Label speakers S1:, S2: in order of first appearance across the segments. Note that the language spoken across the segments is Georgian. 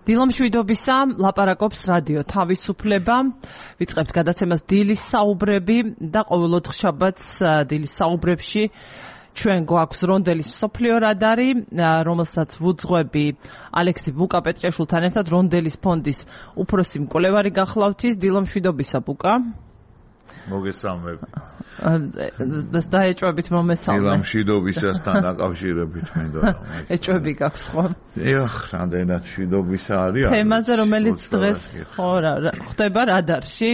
S1: დილამშვიდობისა ლაპარაკობს რადიო თავისუფლება. ვიწყებთ გადაცემას დილის საუბრები და ყოველ ოთხშაბათს დილის საუბრებში ჩვენ გვაქვს რონდელის მსოფლიო რადარი, რომელსაც ვუძღვები ალექსი ბუკა-პეტრიაშვილთან ერთად რონდელის ფონდის უფროსი მკვლევარი გახლავთ. დილამშვიდობისა ბუკა.
S2: მოგესალმებით.
S1: დაეჭვებით მომესალმე.
S2: დილამშვიდობისასთან დაკავშირებით მინდა რომ
S1: ეჭვები გაქვს ხო?
S2: ეხ, რამდენად მშვიდობისა არის.
S1: თემაზე რომელიც დღეს ხო ხდება რადარში?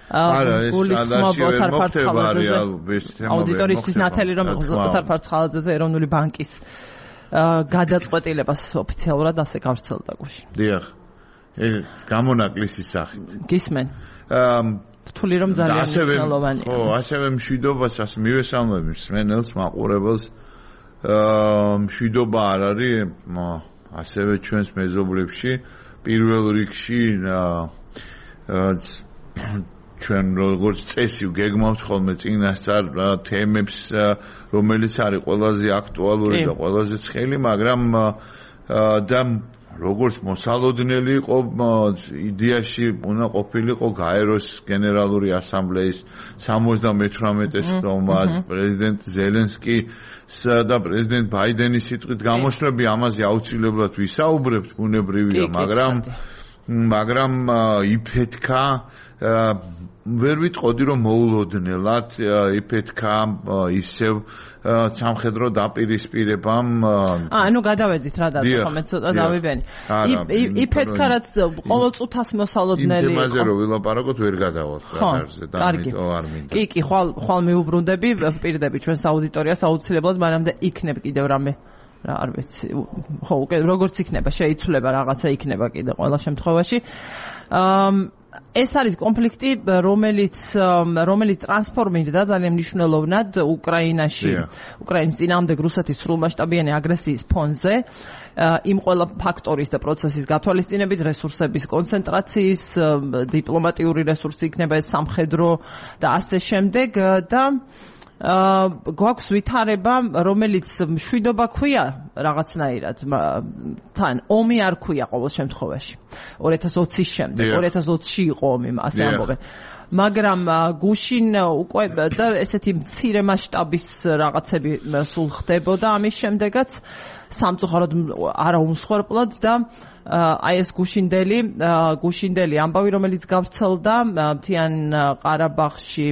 S2: არა, ეს რადარში ვერ მოხდება
S1: აუდიტორისთვის ნათელი რომ ოთარ ფარცხალაძეზე ეროვნული ბანკის გადაწყვეტილებას ოფიციალურად ასე გავრცელდა გუშინ.
S2: დიახ. ეს გამონაკლისის სახით.
S1: გისმენ. რთული რომ ძალიან მნიშვნელოვანია.
S2: ხო, ასევე მშვიდობასაც მივესალმები მსმენელს, მაყურებელს. მშვიდობა არ არის ასევე ჩვენს მეზობლებში, პირველ რიგში ჩვენ როგორც წესი გეგმავთ ხოლმე წინასწარ თემებს, რომელიც არის ყველაზე აქტუალური და ყველაზე ცხელი, მაგრამ და როგორც მოსალოდნელი იყო იდეაში უნდა ყოფილიყო გაეროს გენერალური ასამბლეის 78-ე სხდომაც პრეზიდენტ ზელენსკის და პრეზიდენტ ბაიდენის სიტყვით გამოსვლები, ამაზე აუცილებლად ვისაუბრებთ, ბუნებრივია, მაგრამ იფეთქა ვერ ვიტყოდი რომ მოულოდნელად იფეთქა ისევ სამხედრო დაპირისპირებამ
S1: ანუ გადავედით რა დაწოხმე ცოტა დავიბენი იფეთქა რაც ყოველ წუთას მოსალოდნელი
S2: იმ თემაზე რომ ვილაპარაკოთ ვერ გადავალთ რადარზე და ამიტომ არ მინდა
S1: კი ხვალ მიუბრუნდები ვპირდები ჩვენს აუდიტორიას აუცილებლად მანამდე იქნებ კიდევ რამე რა არ ვიცი ხო უკვე როგორც იქნება შეიცვლება რაღაცა იქნება კიდე ყველა შემთხვევაში ეს არის კონფლიქტი, რომელიც ტრანსფორმირდა ძალიან მნიშვნელოვნად უკრაინაში, უკრაინის წინააღმდეგ რუსეთის სრულმასშტაბიანი აგრესიის ფონზე, იმ ყველა ფაქტორის და პროცესის გათვალისწინებით, რესურსების კონცენტრაციის, დიპლომატიური რესურსი იქნება ეს სამხედრო და ასე შემდეგ და გვაქვს ვითარება, რომელიც მშვიდობა ქვია რაღაცნაირად, თან ომი არ ქვია ყოველ შემთხვევაში. 2020-ის შემდეგ, 2020-ში იყო ომი, ასე ამბობენ. მაგრამ გუშინ უკვე და ესეთი მცირე მასშტაბის რაღაცები სულ ხდებოდა ამის შემდეგაც სამწუხაროდ არა უმსხვერპლად და აი ეს გუშინდელი ამბავი, რომელიც გავრცელდა მთიან ყარაბაღში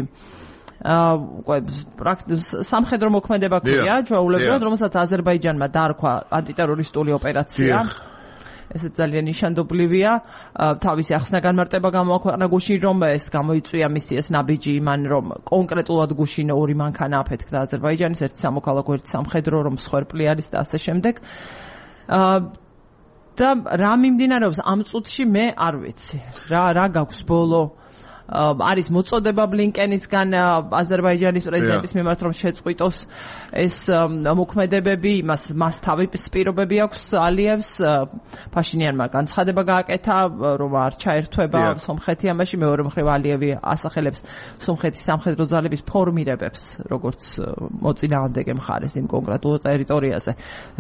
S1: სამხედრო მოქმედება ქვია ჩვეულებრივად, რომელსაც აზერბაიჯანმა დაარქვა ანტიტერორისტული ოპერაცია. ესეც ძალიან ნიშანდობლივია. თავისი ახსნა-განმარტება გამოაქვეყნა გუშინ, რომ ეს გამოიწვია მისი ეს ნაბიჯი იმან, რომ კონკრეტულად გუშინ ორი მანქანა აფეთქდა აზერბაიჯანის, ერთი სამოქალაქო, ერთი სამხედრო, რომ მსხვერპლი არის და ასე შემდეგ. და რა მიმდინარეობს ამ წუთში მე არ ვიცი. რა გაქვს ბოლო არის მოწოდება ბლინკენისგან აზერბაიჯანის პრეზიდენტის მიმართ რომ შეწყვიტოს ეს მოქმედებები, მას თავი პირობები აქვს ალიევს, ფაშინიანმა განცხადება გააკეთა რომ არ ჩაერთვება სომხეთი ამაში, მეორე მხრივ ალიევი ასახელებს სომხეთის სამხედრო ძალების ფორმირებებს, როგორც მოწინააღმდეგე მხარეს იმ კონკრეტულ ტერიტორიაზე.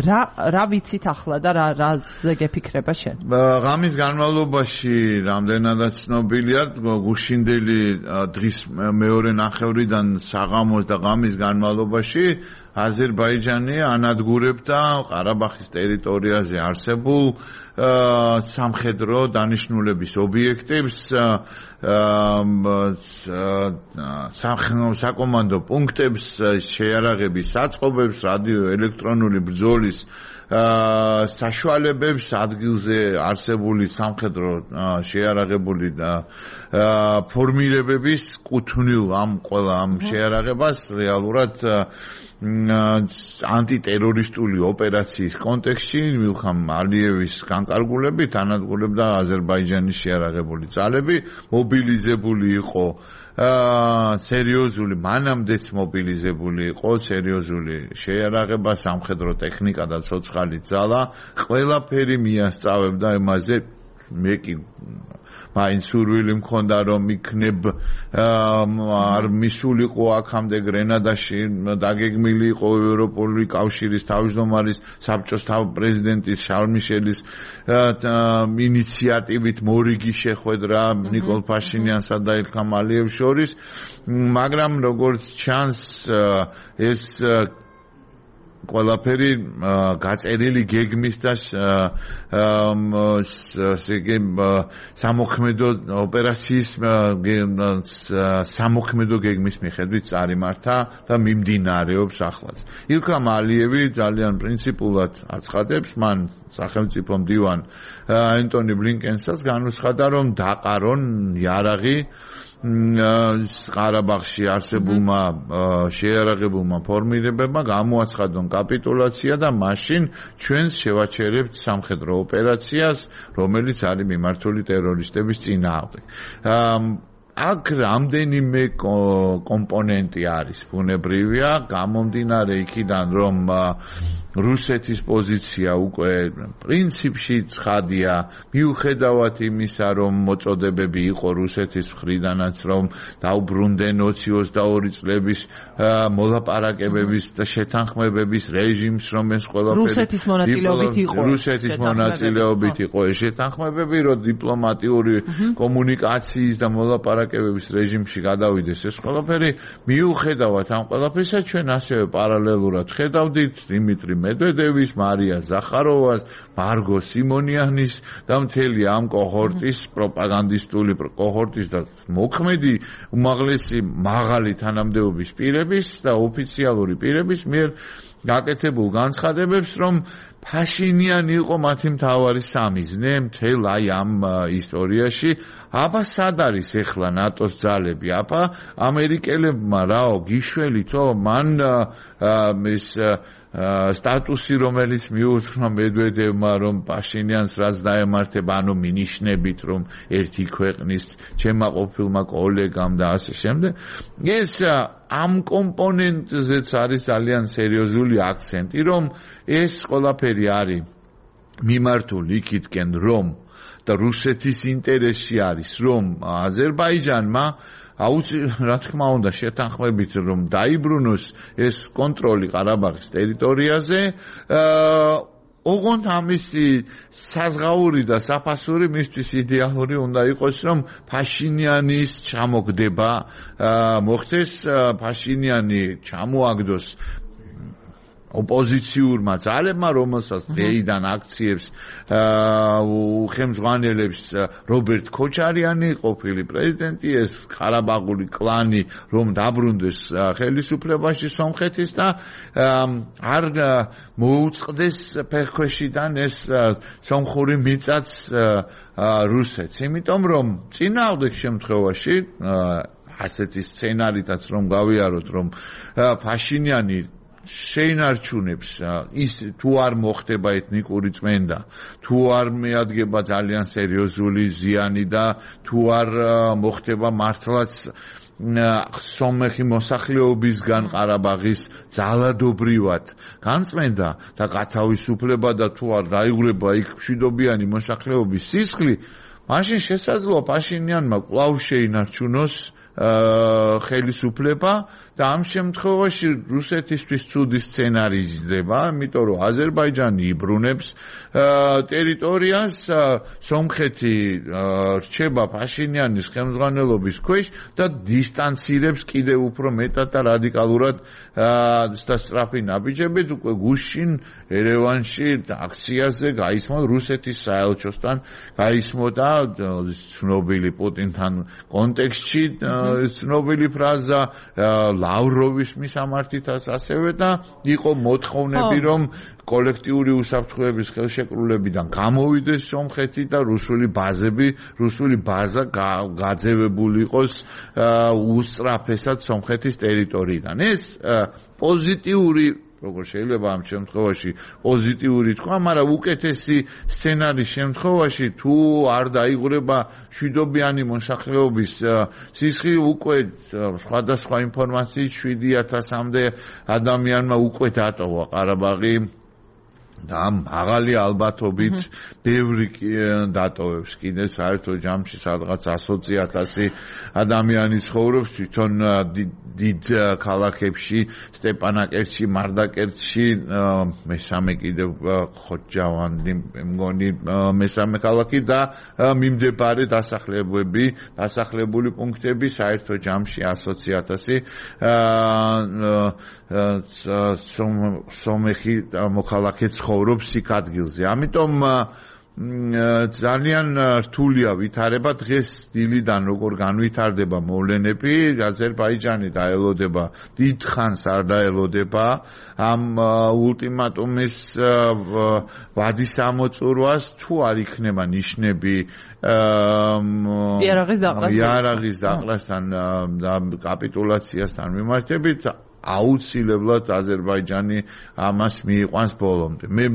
S1: რა ვიცით ახლა და რაზე გეფიქრება შენ?
S2: ღამის განმავლობაში რამდენადაც ცნობილია გუშინდელი დღის მეორე ნახევრიდან საღამოს და ღამის განმავლობაში აზერბაიჯანი ანადგურებდა ყარაბაღის ტერიტორიაზე არსებულ სამხედრო დანიშნულების ობიექტებს, საკომანდო პუნქტებს, შეიარაღების საწყობებს, რადიო ელექტრონული ბრძოლის საშუალებებს, ადგილზე არსებული სამხედრო შეიარაღებული და ფორმირებების კუთვნილ ამ შეიარაღებას რეალურად ანტიტერორისტული ოპერაციის კონტექსტში ვილხამ ალიევის განკარგულებით ანადგურებდა აზერბაიჯანის შეიარაღებული ძალები, მობილიზებული იყო სერიოზული, მანამდეც მობილიზებული იყო სერიოზული შეიარაღება, სამხედრო ტექნიკა და ცოცხალი ძალა, ყველაფერი მიასწავებდა იმაზე მე კი მაინც სურვილი მქონდა რომ იქნებ არ მისულიყო აქამდე გრენადაში დაგეგმილი იყო ევროპული კავშირის თავმჯდომარის საბჭოს პრეზიდენტის შარლ მიშელის ინიციატივით მორიგი შეხვედრა ნიკოლ ფაშინიანსა და ილჰამ ალიევს შორის მაგრამ როგორც ჩანს ეს ყველაფერი გაწერილი გეგმის და სამოქმედო ოპერაციის სამოქმედო გეგმის მიხედვით წარიმართა და მიმდინარეობს ახლაც. ილჰამ ალიევი ძალიან პრინციპულად აცხადებს, მან სახელმწიფო მდივან ენტონი ბლინკენსაც განუცხადა, რომ დაყარონ იარაღი ყარაბაღში არსებულმა შეიარაღებულმა ფორმირებებმა გამოაცხადონ კაპიტულაცია და მაშინ ჩვენს შევაჩერებთ სამხედრო ოპერაციას, რომელიც არის მიმართული ტერორისტების წინააღმდეგ. აქ რამდენიმე კომპონენტი არის ბუნებრივია, გამომდინარე იქიდან, რომ რუსეთის პოზიცია უკვე პრინციპში ცხადია, მიუხედავად იმისა, რომ მოწოდებები იყო რუსეთის მხრიდანაც, რომ დაუბრუნდნენ 20-22 წლების მოლაპარაკებების და შეთანხმებების რეჟიმს, რომ ეს ყველაფერი რუსეთის მონაწილეობით იყო ეს შეთანხმებები, რომ დიპლომატიური კომუნიკაციის და მოლაპარაკებების რეჟიმში გადავიდეს ეს ყველაფერი, მიუხედავად ამ ყველაფრისა, ჩვენ ასევე პარალელურად ხედავდით დიმიტრი მედვედევის, მარია ზახაროვას, მარგო სიმონიანის და მთელი ამ კოჰორტის პროპაგანდისტული კოჰორტის და მოქმედი უმაღლესი მაღალი თანამდებობის პირების და ოფიციალური პირების მიერ გაკეთებულ განცხადებებს, რომ ფაშინიანი იყო მათი მთავარი სამიზნე მთელ აი ამ ისტორიაში. აბა სად არის ახლა ნატოს ძალები? აბა ამერიკელებმა რაო გიშველითო მან ეს სტატუსი, რომელიც მიუძღვნა მედვედევმა, რომ პაშინიანს რაც დაემართება, ანუ მინიშნებით, რომ ერთი ქვეყნის ჩემმა ყოფილმა კოლეგამ და ასე შემდეგ. ეს ამ კომპონენტზეც არის ძალიან სერიოზული აქცენტი, რომ ეს ყველაფერი არის მიმართული იქითკენ, რომ და რუსეთის ინტერესში არის, რომ აზერბაიჯანმა რა თქმა უნდა შეთანხმებით რომ დაიბრუნოს ეს კონტროლი ყარაბაღის ტერიტორიაზე ოღონდ ამისი საზღაური და საფასური მისთვის იდეალური უნდა იყოს რომ ფაშინიანის ჩამოგდება მოხდეს ფაშინიანი ჩამოაგდოს ოპოზიციურმა ძალებმა, რომელსაც დღეიდან აქციებს უხემძღვანელებს რობერტ ქოჩარიანი, ყოფილი პრეზიდენტი, ეს ყარაბაღული კლანი, რომ დაბრუნდეს ხელისუფლებაში სომხეთის და არ მოუწყდეს ფეხქვეშიდან ეს სომხური მიწაც რუსეთს. იმიტომ რომ წინააღმდეგ შემთხვევაში ასეთი სცენარითაც რომ გავიაროთ, რომ ფაშინიანი შეინარჩუნებს ის თუ არ მოხდება ეთნიკური წმენდა, თუ არ მიადგება ძალიან სერიოზული ზიანი და თუ არ მოხდება მართლაც სომეხი მოსახლეობისგან ყარაბაღის ძალადობრივად განწმენდა და გათავისუფლება და თუ არ დაიღრება იქ მშვიდობიანი მოსახლეობის სისხლი, მაშინ შესაძლოა პაშინიანმა კვლავ შეინარჩუნოს ხელისუფლება და ამ შემთხვევაში რუსეთისთვის ცუდი სცენარი იზრდება, იმიტომ რომ აზერბაიჯანი იბრუნებს ტერიტორიას, სომხეთი რჩება ფაშინიანის ხელმძღვანელობის ქვეშ და დისტანცირებს კიდევ უფრო მეტად და რადიკალურად და სწრაფი ნაბიჯებით უკვე გუშინ ერევანში აქციაზე გაისმო რუსეთის საელჩოსთან გაისმო და ცნობილი პუტინთან კონტექსტში ცნობილი ფრაზა ლავროვის მისამართითაც ასევე და იყო მოთხოვნები რომ კოლექტიური უსაფრთხოების ხელშეკრულებიდან გამოვიდეს სომხეთი და რუსული ბაზა გაძევებული იყოს უსწრაფესად სომხეთის ტერიტორიიდან. ეს პოზიტიური როგორ შეიძლება ამ შემთხვევაში პოზიტიური თქვა, მაგრამ უკეთესი სცენარის შემთხვევაში თუ არ დაიღრება მშვიდობიანი მოსახლეობის სისხლი, უკვე სხვადასხვა ინფორმაციით 7,000-მდე ადამიანმა უკვე დატოვა ყარაბაღი და მაღალი ალბათობით ბევრი დატოვებს კიდე საერთო ჯამში სადღაც 120,000 ადამიანი ცხოვრობს თვითონ დიდ ქალაქებში სტეპანაკერტში, მარდაკერტში, მესამე კიდევ ხოჯავანდი მგონი მესამე ქალაქი და მიმდებარე დასახლებული პუნქტები საერთო ჯამში 120,000 სომეხი მოქალაქე ცხოვრობს იქ ადგილზე. ამიტომ ძალიან რთულია ვითარება დღეს დილიდან როგორ განვითარდება მოვლენები აზერბაიჯანი დაელოდება დიდ ხანს არ დაელოდება ამ ულტიმატუმის ვადის ამოწურვას თუ არ იქნება ნიშნები იარაღის დაყრასთან და კაპიტულაციასთან მიმართებით აუცილებლად აზერბაიჯანი ამას მიიყვანს ბოლომდე მე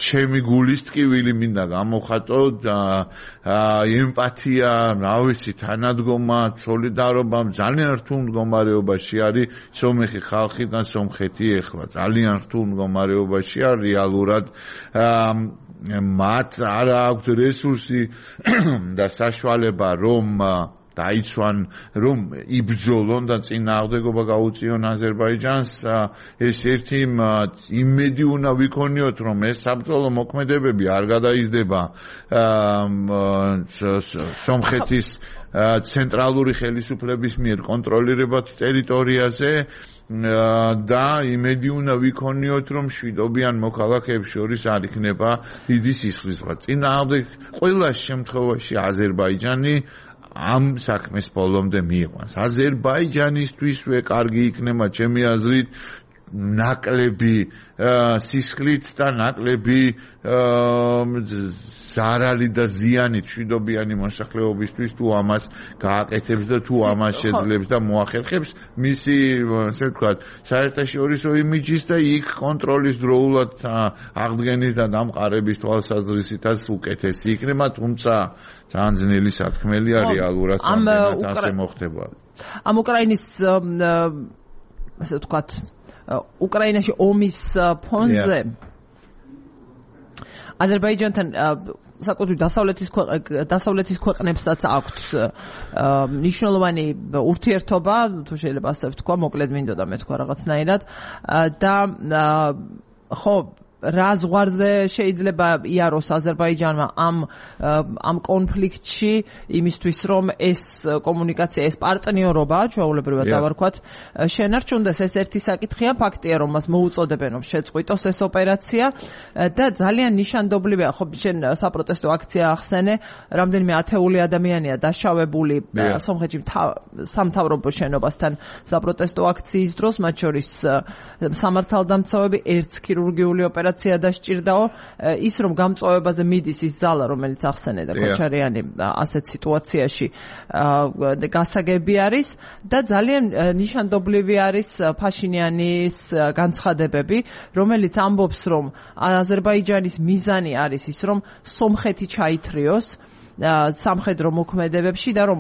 S2: ჩემი გულის ტკივილი მინდა გამოვხატო და ემპათია, რა ვიცი, თანადგომა, სოლიდარობა ძალიან რთულ მდგომარეობაში არის სომეხი ხალხი და სომხეთი ეხლა ძალიან რთულ მდგომარეობაში არის რეალურად მათ არ აქვს რესურსი და საშუალება რომ დაიცვან რომ იბრძოლონ და წინააღმდეგობა გაუწიონ აზერბაიჯანს ეს ერთი იმედი უნდა ვიქონიოთ რომ ეს საბრძოლო მოქმედებები არ გადაიზრდება სომხეთის ცენტრალური ხელისუფლების მიერ კონტროლირებად ტერიტორიაზე და იმედი უნდა ვიქონიოთ რომ შვიდობიან მოქალაქეებს შორის არ იქნება დიდი სისხლისღვრა წინააღმდეგ ყველა შემთხვევაში აზერბაიჯანი ამ საქმეს ბოლომდე მიიყვანს. აზერბაიჯანისთვისვე კარგი იქნება ჩემი აზრით ნაკლები სისხლით და ნაკლები ზარალი და ზიანით შვიდობიანი მოსახლეობისთვის თუ ამას გააკეთებს და თუ ამას შეძლებს და მოახერხებს მისი ასე ვთქვათ საერთაშორისო იმიჯის და იქ კონტროლის დროულად აღდგენის და დამყარების თვალსაზრისითაც უკეთესი იქნება თუმცა ძალიან ძნელი სათქმელია რეალურად ასე მოხდება.
S1: ამ უკრაინის ასე ვთქვათ უკრაინაში ომის ფონზე აზერბაიჯანთან საკუთრივ დასავლეთის ქვეყნებსაც აქვთ მნიშვნელოვანი ურთიერთობა, თუ შეიძლება ასე ვთქვა, მოკლედ მინდოდა მე თქვა რაღაცნაირად და ხო რა ზღვარზე შეიძლება იაროს აზერბაიჯანმა ამ კონფლიქტში იმისთვის რომ ეს კომუნიკაცია ეს პარტნიორობა ჩვეულებრივად დავარქვათ შენარჩუნდეს ეს ერთი საკითხია ფაქტია რომ მას მოუწოდებენ რომ შეწყვიტოს ეს ოპერაცია და ძალიან ნიშანდობლივია ხო შენ საპროტესტო აქცია ახსენე რამდენიმე ათეული ადამიანია დაშავებული სომხეთში სამთავრობო შენობასთან საპროტესტო აქციის დროს მათ შორის სამართალდამცავები ერთ ქირურგიული ოპერაცია დასჭირდაო ის რომ გამწვავებაზე მიდის ის ძალა რომელიც ახსენე და კოჩარიანი ასეთ სიტუაციაში გასაგები არის და ძალიან ნიშანდობლივი არის ფაშინიანის განცხადებები რომელიც ამბობს რომ აზერბაიჯანის მიზანი არის ის რომ სომხეთი ჩაითრიოს სამხედრო მოქმედებებში და რომ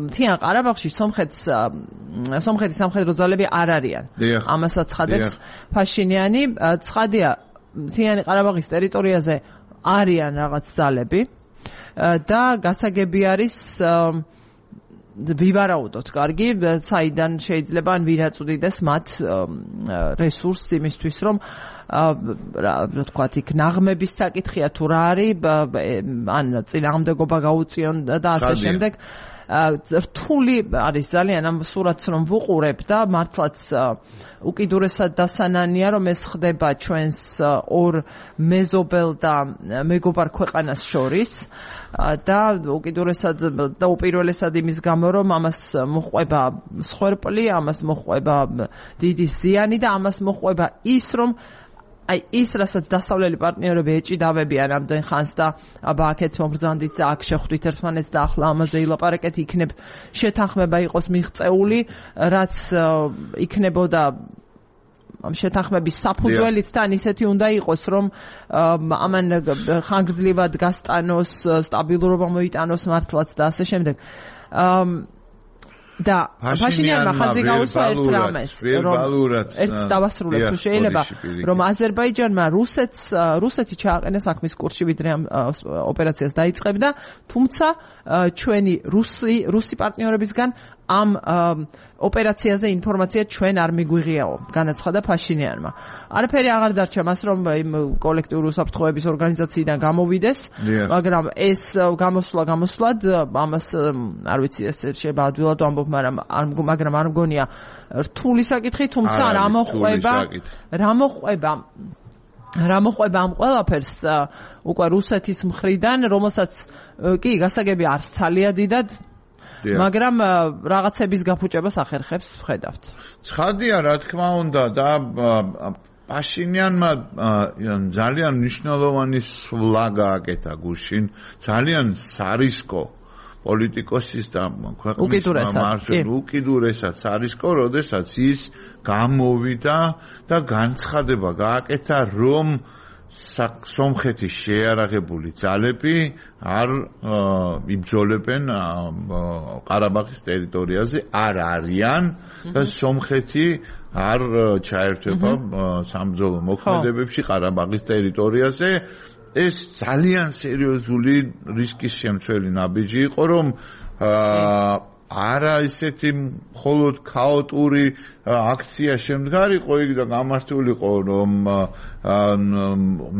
S1: მთიან ყარაბაღში სომხეთის სამხედრო ძალები არ არიან. ამასაც ცხადებს ფაშინიანი. ცხადია, მთიანი ყარაბაღის ტერიტორიაზე არიან რაღაც ძალები და გასაგები არის ვივარაუდოთ კარგი, საიდან შეიძლება ან ვინ აწვდიდეს მათ რესურსს იმისთვის რომ რა ვთქვათ, იქ ნაღმების საკითხია თუ რა არის, ან წინააღმდეგობა გაუწიონ და ასე შემდეგ. რთული არის ძალიან ამ სურათს რომ ვუყურებ და მართლაც უკიდურესად დასანანია რომ ეს ხდება ჩვენს ორ მეზობელ და მეგობარ ქვეყანას შორის და უკიდურესად და უპირველესად იმის გამო რომ ამას მოჰყვება სხერპლი, ამას მოჰყვება დიდი ზიანი და ამას მოჰყვება ის რომ აი ის რასაც დასავლელი პარტნიორები ეჭიდავებიან ამდენ ხანს და აბა აქეთ მომბრძანდით და აქ შეხვდით ერთმანეთს და ახლა ამაზე ილაპარაკეთ იქნებ შეთანხმება იყოს მიღწეული რაც იქნებოდა ამ შეთანხმების საფუძველიც თან ისეთი უნდა იყოს რომ ამან ხანგრძლივად გასტანოს სტაბილურობა მოიტანოს მართლაც და ასე შემდეგ და ფაშინიანმა ხაზი გაუსვა ერთ რამეს, რომ ერთს დავასრულებ თუ შეიძლება, რომ აზერბაიჯანმა რუსეთი ჩააყენა საქმის კურსში ვიდრე ამ ოპერაციას დაიწყებდა, თუმცა ჩვენი რუსი პარტნიორებისგან ამ ოპერაციაზე ინფორმაცია ჩვენ არ მიგვიღიაო, განაცხადა ფაშინიანმა. არაფერი აღარ დარჩა მას, რომ იმ კოლექტიური უსაფრთხოების ორგანიზაციიდან გამოვიდეს, მაგრამ ეს გამოსვლად ამას არ ვიცი, ეს შეიძლება ადვილად ვამბობ, მაგრამ არ მგონია რთული საკითხი, თუმცა რა მოყვება ამ ყველაფერს უკვე რუსეთის მხრიდან, რომელსაც კი გასაგები არც ძალიან დიდად მაგრამ რაღაცების გაფუჭებას ახერხებს ვხედავთ.
S2: ცხადია, რა თქმა უნდა და პაშინიანმა ძალიან მნიშვნელოვანი სვლა გააკეთა გუშინ, ძალიან სარისკო პოლიტიკოსის და ქვეყნის უკიდურესად სარისკო, როდესაც ის გამოვიდა და განცხადება გააკეთა, რომ სომხეთის შეიარაღებული ძალები არ იბრძოლებენ ყარაბაღის ტერიტორიაზე, არ არიან და სომხეთი არ ჩაერთვება სამბრძოლო მოქმედებებში ყარაბაღის ტერიტორიაზე. ეს ძალიან სერიოზული რისკის შემცველი ნაბიჯი იყო, რომ არა ისეთი მხოლოდ ქაოტური აქცია შემდგარიყო იქ და გამართულიყო, რომ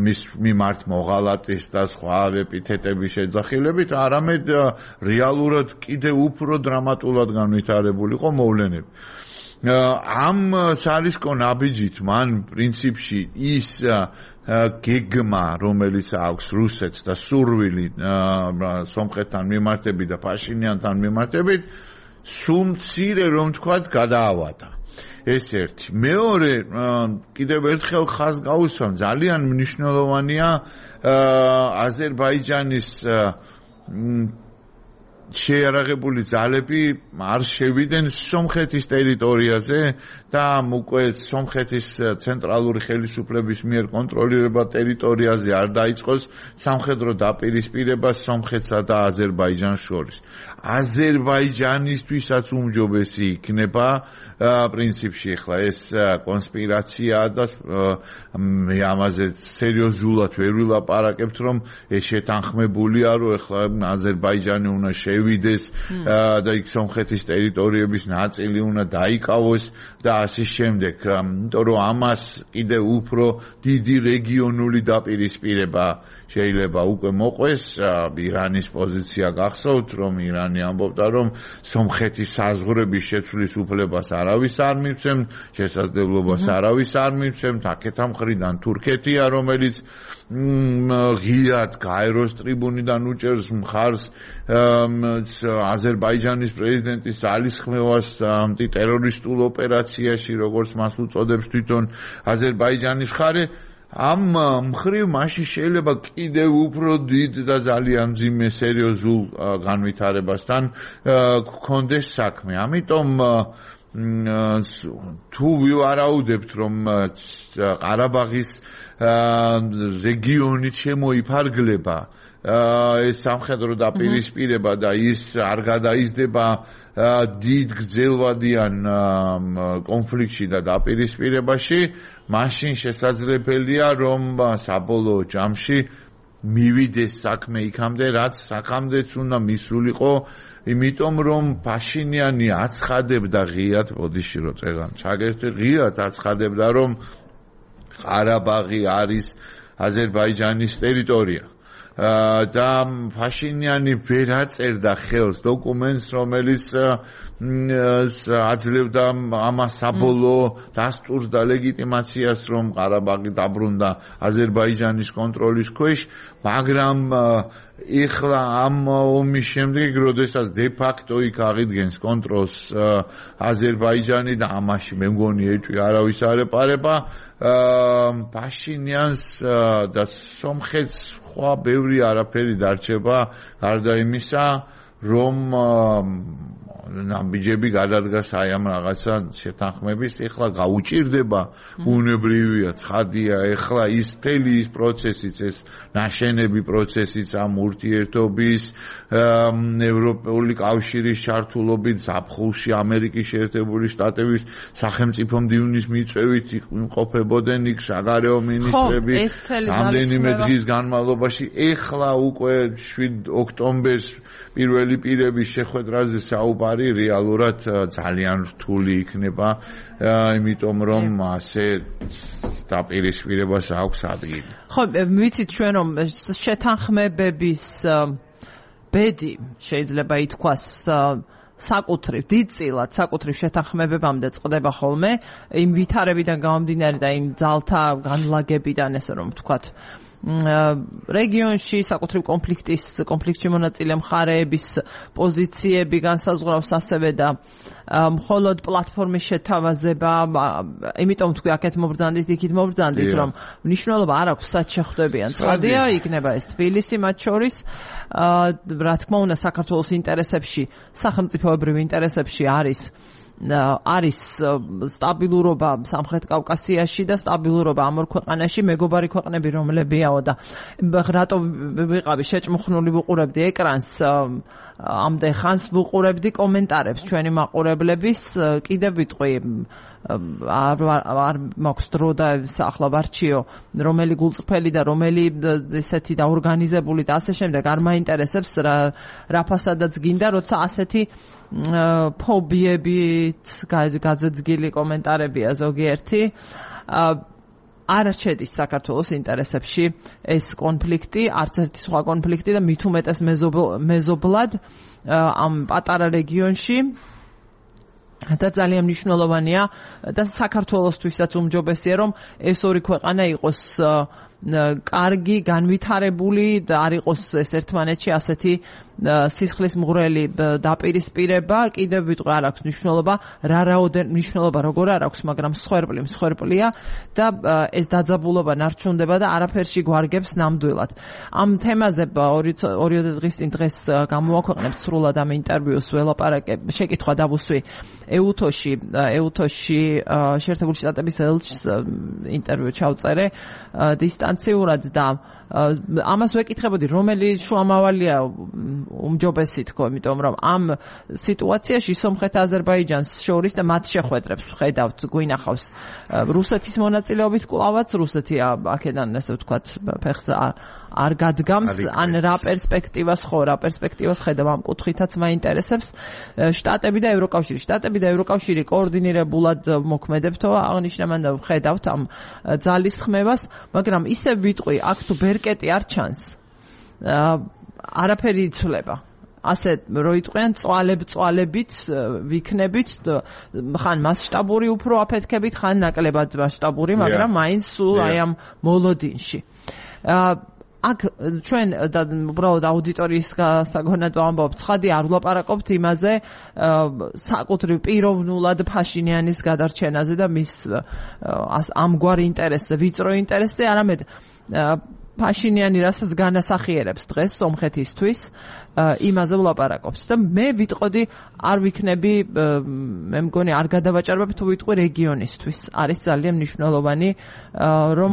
S2: მის მიმართ მოღალატის და სხვა ეპითეტების შეძახილებით, არამედ რეალურად კიდევ უფრო დრამატულად განვითარებულიყო მოვლენები. ამ სარისკო ნაბიჯით მან პრინციპში ის გეგმა, რომელიც აქვს რუსეთს და სურვილი სომხეთთან მიმართებით და ფაშინიანთან მიმართებით, სულ მცირე რომ თქვათ გადაავადა. ეს ერთი. მეორე, კიდევ ერთხელ ხაზს გაუსვამ, ძალიან მნიშვნელოვანია აზერბაიჯანის შეიარაღებული ძალები არ შევიდნენ სომხეთის ტერიტორიაზე და უკვე სომხეთის ცენტრალური ხელისუფლების მიერ კონტროლირება ტერიტორიაზე არ დაიწყოს სამხედრო დაპირისპირება სომხეთსა და აზერბაიჯანს შორის. აზერბაიჯანისთვისაც უმჯობესი იქნება პრინციპში ახლა ეს კონსპირაციაა და მე ამაზე სერიოზულად ვერ ვილაპარაკებთ, რომ ეს შეთანხმებულია, რომ ახლა აზერბაიჯანი უნდა შევიდეს და იქ სომხეთის ტერიტორიების ნაწილი უნდა დაიკავოს და ასე შემდეგ, იმიტომ რომ ამას კიდევ უფრო დიდი რეგიონული დაპირისპირება შეიძლება უკვე მოყვეს. ირანის პოზიცია გახსოვთ, რომ ირანი ამბობდა, რომ სომხეთის საზღვრების შეცვლის უფლებას არავის არ მივცემთ, შესაძლებლობას არავის არ მივცემთ, აქეთა მხრიდან თურქეთია, რომელიც ღიად გაეროს ტრიბუნიდან უჭერს მხარს აზერბაიჯანის პრეზიდენტის ძალისხმევას ანტიტერორისტულ ოპერაციაში, როგორც მას უწოდებს თვითონ აზერბაიჯანის მხარე. ამ მხრივ მაშინ შეიძლება კიდევ უფრო დიდ და ძალიან მძიმე სერიოზულ განვითარებასთან გქონდეს საქმე. ამიტომ თუ ვივარაუდებთ, რომ ყარაბაღის რეგიონი შემოიფარგლება, ეს სამხედრო დაპირისპირება და ის არ გადაიზრდება დიდ გრძელვადიან კონფლიქტში და დაპირისპირებაში, მაშინ შესაძლებელია, რომ საბოლოო ჯამში მივიდეს საქმე იქამდე, რაც აქამდეც უნდა მისულიყო, იმიტომ რომ ფაშინიანი აცხადებდა ღიად, ბოდიში რო წერან, ჩაგერთი ღიად აცხადებდა, რომ ყარაბაღი არის აზერბაიჯანის ტერიტორია. და ფაშინიანი ვერ აწერდა ხელს დოკუმენტს, რომელიც აძლევდა ამას საბოლოო დასტურს და ლეგიტიმაციას, რომ ყარაბაღი დაბრუნდა აზერბაიჯანის კონტროლის ქვეშ, მაგრამ ეხლა ამ ომის შემდეგ, როდესაც დე-ფაქტო იქ აღიდგენს კონტროლს აზერბაიჯანი და ამაში მე მგონი ეჭვი არავის არ ეპარება, ფაშინიანს და სომხეთს სხვა ბევრი არაფერი დარჩება, გარდა იმისა, რომ ნაბიჯები გადადგას აი ამ რაღაცა შეთანხმების, ეხლა გაუჭირდება, ბუნებრივია, ცხადია, ეხლა ის მთელი ის პროცესიც, ეს ნაშენები პროცესიც ამ ურთიერთობის ევროპული კავშირის ჩართულობით ზაფხულში ამერიკის შეერთებული შტატების სახელმწიფო მდივნის მიწვევით იმყოფებოდნენ იქ საგარეო მინისტრები რამდენიმე დღის განმავლობაში, ეხლა უკვე 7 ოქტომბერს პირველი პირების შეხვედრაზე საუბარი რეალურად ძალიან რთული იქნება, იმიტომ რომ ასე დაპირისპირებას აქვს ადგილი.
S1: ხო, ვიცით ჩვენ რომ შეთანხმებების ბედი შეიძლება ითქვას საკუთრივ დიდწილად საკუთრივ შეთანხმებებამდე წყდება ხოლმე იმ ვითარებიდან გამომდინარე და იმ ძალთა განლაგებიდან, ესე რომ ვთქვათ, რეგიონში საკუთრივ კონფლიქტში მონაწილე მხარეების პოზიციები განსაზღვრავს ასევე და მხოლოდ პლატფორმის შეთავაზება, იმიტომ თქვი აქეთ მობრძანდით, იქით მობრძანდით, რომ მნიშვნელობა არ აქვს, სად შეხვდებიან. ცხადია, იქნება ეს თბილისი მათ შორის, რა თქმა უნდა, საქართველოს ინტერესებში, სახელმწიფოებრივ ინტერესებში არის სტაბილურობა სამხრეთ კავკასიაში და სტაბილურობა ამ ორ ქვეყანაში, მეგობარი ქვეყნები რომლებიაო და რატო ვიყავი შეჭმხნული ვუყურებდი ეკრანს, ამდენ ხანს ვუყურებდი კომენტარებს ჩვენი მაყურებლების, კიდევ ვიტყვი არ მაქვს დრო და ახლა ვარჩიო რომელი გულწრფელი და რომელი ესეთი დაორგანიზებული და ასე შემდეგ არ მაინტერესებს რა ფასადაც გინდა, როცა ასეთი ფობიებით გაძეძგილი კომენტარებია ზოგიერთი, არ შედის საქართველოს ინტერესებში ეს კონფლიქტი, არც ერთი სხვა კონფლიქტი და მით უმეტეს მეზობლად ამ პატარა რეგიონში და ძალიან მნიშვნელოვანია და საქართველოსთვისაც უმჯობესია რომ ეს ორი ქვეყანა იყოს კარგი, განვითარებული და არ იყოს ეს ერთმანეთში ასეთი სისხლის მღვრელი დაპირისპირება. კიდევ ვიტყვი, არ აქვს მნიშვნელობა, მნიშვნელობა როგორ არ აქვს, მაგრამ მსხვერპლია და ეს დაძაბულობა ნარჩუნდება და არაფერში გვარგებს ნამდვილად. ამ თემაზე 2 დღის წინ დღეს გამოვაქვეყნებთ სრულად ამ ინტერვიუს, ველაპარაკებ, შეკითხვა დავუსვი ეუთოში შეერთებული შტატების ელჩს ინტერვიუ ჩავწერე დისტანციურად და ამას ვეკითხებოდი, რომელი შუამავალია უმჯობესი თქო, იმიტომ რომ ამ სიტუაციაში სომხეთ-აზერბაიჯანს შორის და მათ შეხვედრებს ხედავთ, გვინახავს რუსეთის მონაწილეობით კლავაც, რუსეთი აქედან ესე ვთქვათ ფეხს არ გადგამს, ან რა პერსპექტივას ხედავ ამ კუთხითაც მაინტერესებს. შტატები და ევროკავშირი კოორდინირებულად მოქმედებთო აღნიშნა, მან ხედავთ ამ ძალისხმევას, მაგრამ ისე ვიტყვი, აქ თუ ბერკეტი არ ჩანს, არაფერი იცვლება. ასე როიტყვიან წვალებით ვიქნებით, ხან მასშტაბური უფრო აფეთქებით, ხან ნაკლებად მასშტაბური, მაგრამ მაინც სულ აი ამ მოლოდინში. აქ ჩვენ უბრალოდ აუდიტორიის გასაგონად ვამბობთ, ცხადია არ ვლაპარაკობთ იმაზე საკუთრივ პიროვნულად ფაშინიანის გადარჩენაზე და მის ამგვარ ინტერესზე, ვიწრო ინტერესზე, არამედ ფაშინიანი რასაც განასახიერებს დღეს სომხეთისთვის, იმაზე ვლაპარაკობთ და მე ვიტყოდი არ ვიქნები, მე მგონი არ გადავაჭარბებ თუ ვიტყვი რეგიონისთვის. არის ძალიან მნიშვნელოვანი რომ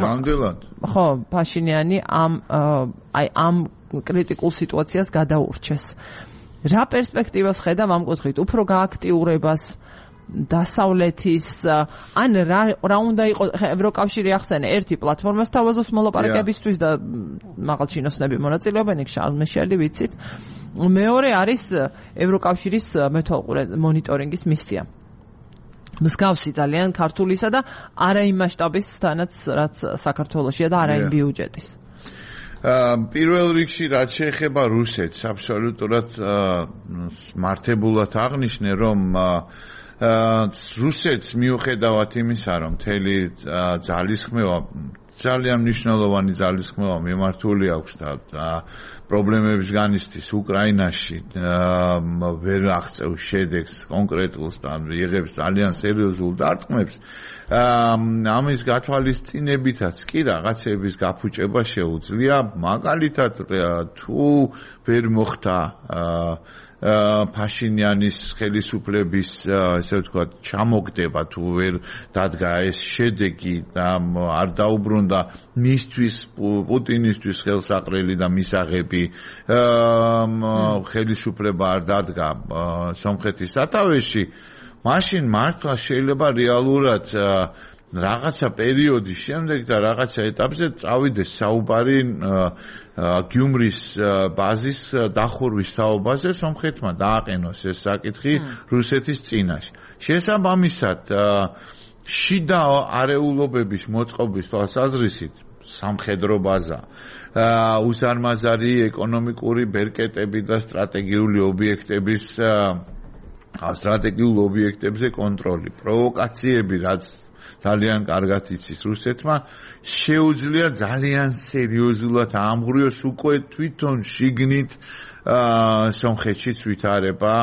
S1: ხო, ფაშინიანი ამ კრიტიკულ სიტუაციას გადაურჩეს. რა პერსპექტივას ხედავ ამ კუთხით? უფრო გააქტიურებას დასავლეთის ან რა უნდა იყოს, ევროკავშირი ახსენე, ერთი პლატფორმას თავაზობს მოლაპარაკებისთვის და მაღალ ჩინოსნები მონაწილეობენ, იქ შარლ მიშელი ვიცით. მეორე არის ევროკავშირის მეთვალყურე მონიტორინგის მისია. მსგავსი ძალიან ქართულისა და არა იმ მასშტაბისთანაც, რაც საქართველოშია და არა იმ ბიუჯეტის.
S2: პირველ რიგში რაც შეეხება რუსეთს, აბსოლუტურად მართებულად აღნიშნე, რომ რუსეთს მიუხედავად იმისა, რომ მთელი ძალისხმევა, ძალიან მნიშვნელოვანი ძალისხმევა მიმართული აქვს და პრობლემების განიცდის უკრაინაში, ვერ აღწევს შედეგს კონკრეტულს და იღებს ძალიან სერიოზულ დარტყმებს, ამის გათვალისწინებითაც კი რაღაცების გაფუჭება შეუძლია, მაგალითად თუ ვერ მოხდა ფაშინიანის ხელისუფლების ესე ვთქვათ ჩამოგდება თუ ვერ დადგა ეს შედეგი და არ დაუბრუნდა მისთვის პუტინისთვის ხელსაყრელი და მისაღები ხელისუფლება არ დადგა სომხეთის სათავეში მაშინ მართლა შეიძლება რეალურად რაღაცა პერიოდის შემდეგ და რაღაცა ეტაპზე წავიდეს საუბარი გიუმრის ბაზის დახურვის თაობაზე სომხეთმა დააყენოს ეს საკითხი რუსეთის წინაშე. შესაბამისად შიდა არეულობების მოწყობის თვალსაზრისით სამხედრო ბაზა უსარმაზარი ეკონომიკური ბერკეტები და სტრატეგიული ობიექტებზე კონტროლი, პროვოკაციები, რაც ძალიან კარგად იცის რუსეთმა, შეუძლია ძალიან სერიოზულად ამღვრიოს უკვე თვითონ შიგნით სომხეთშიც ვითარება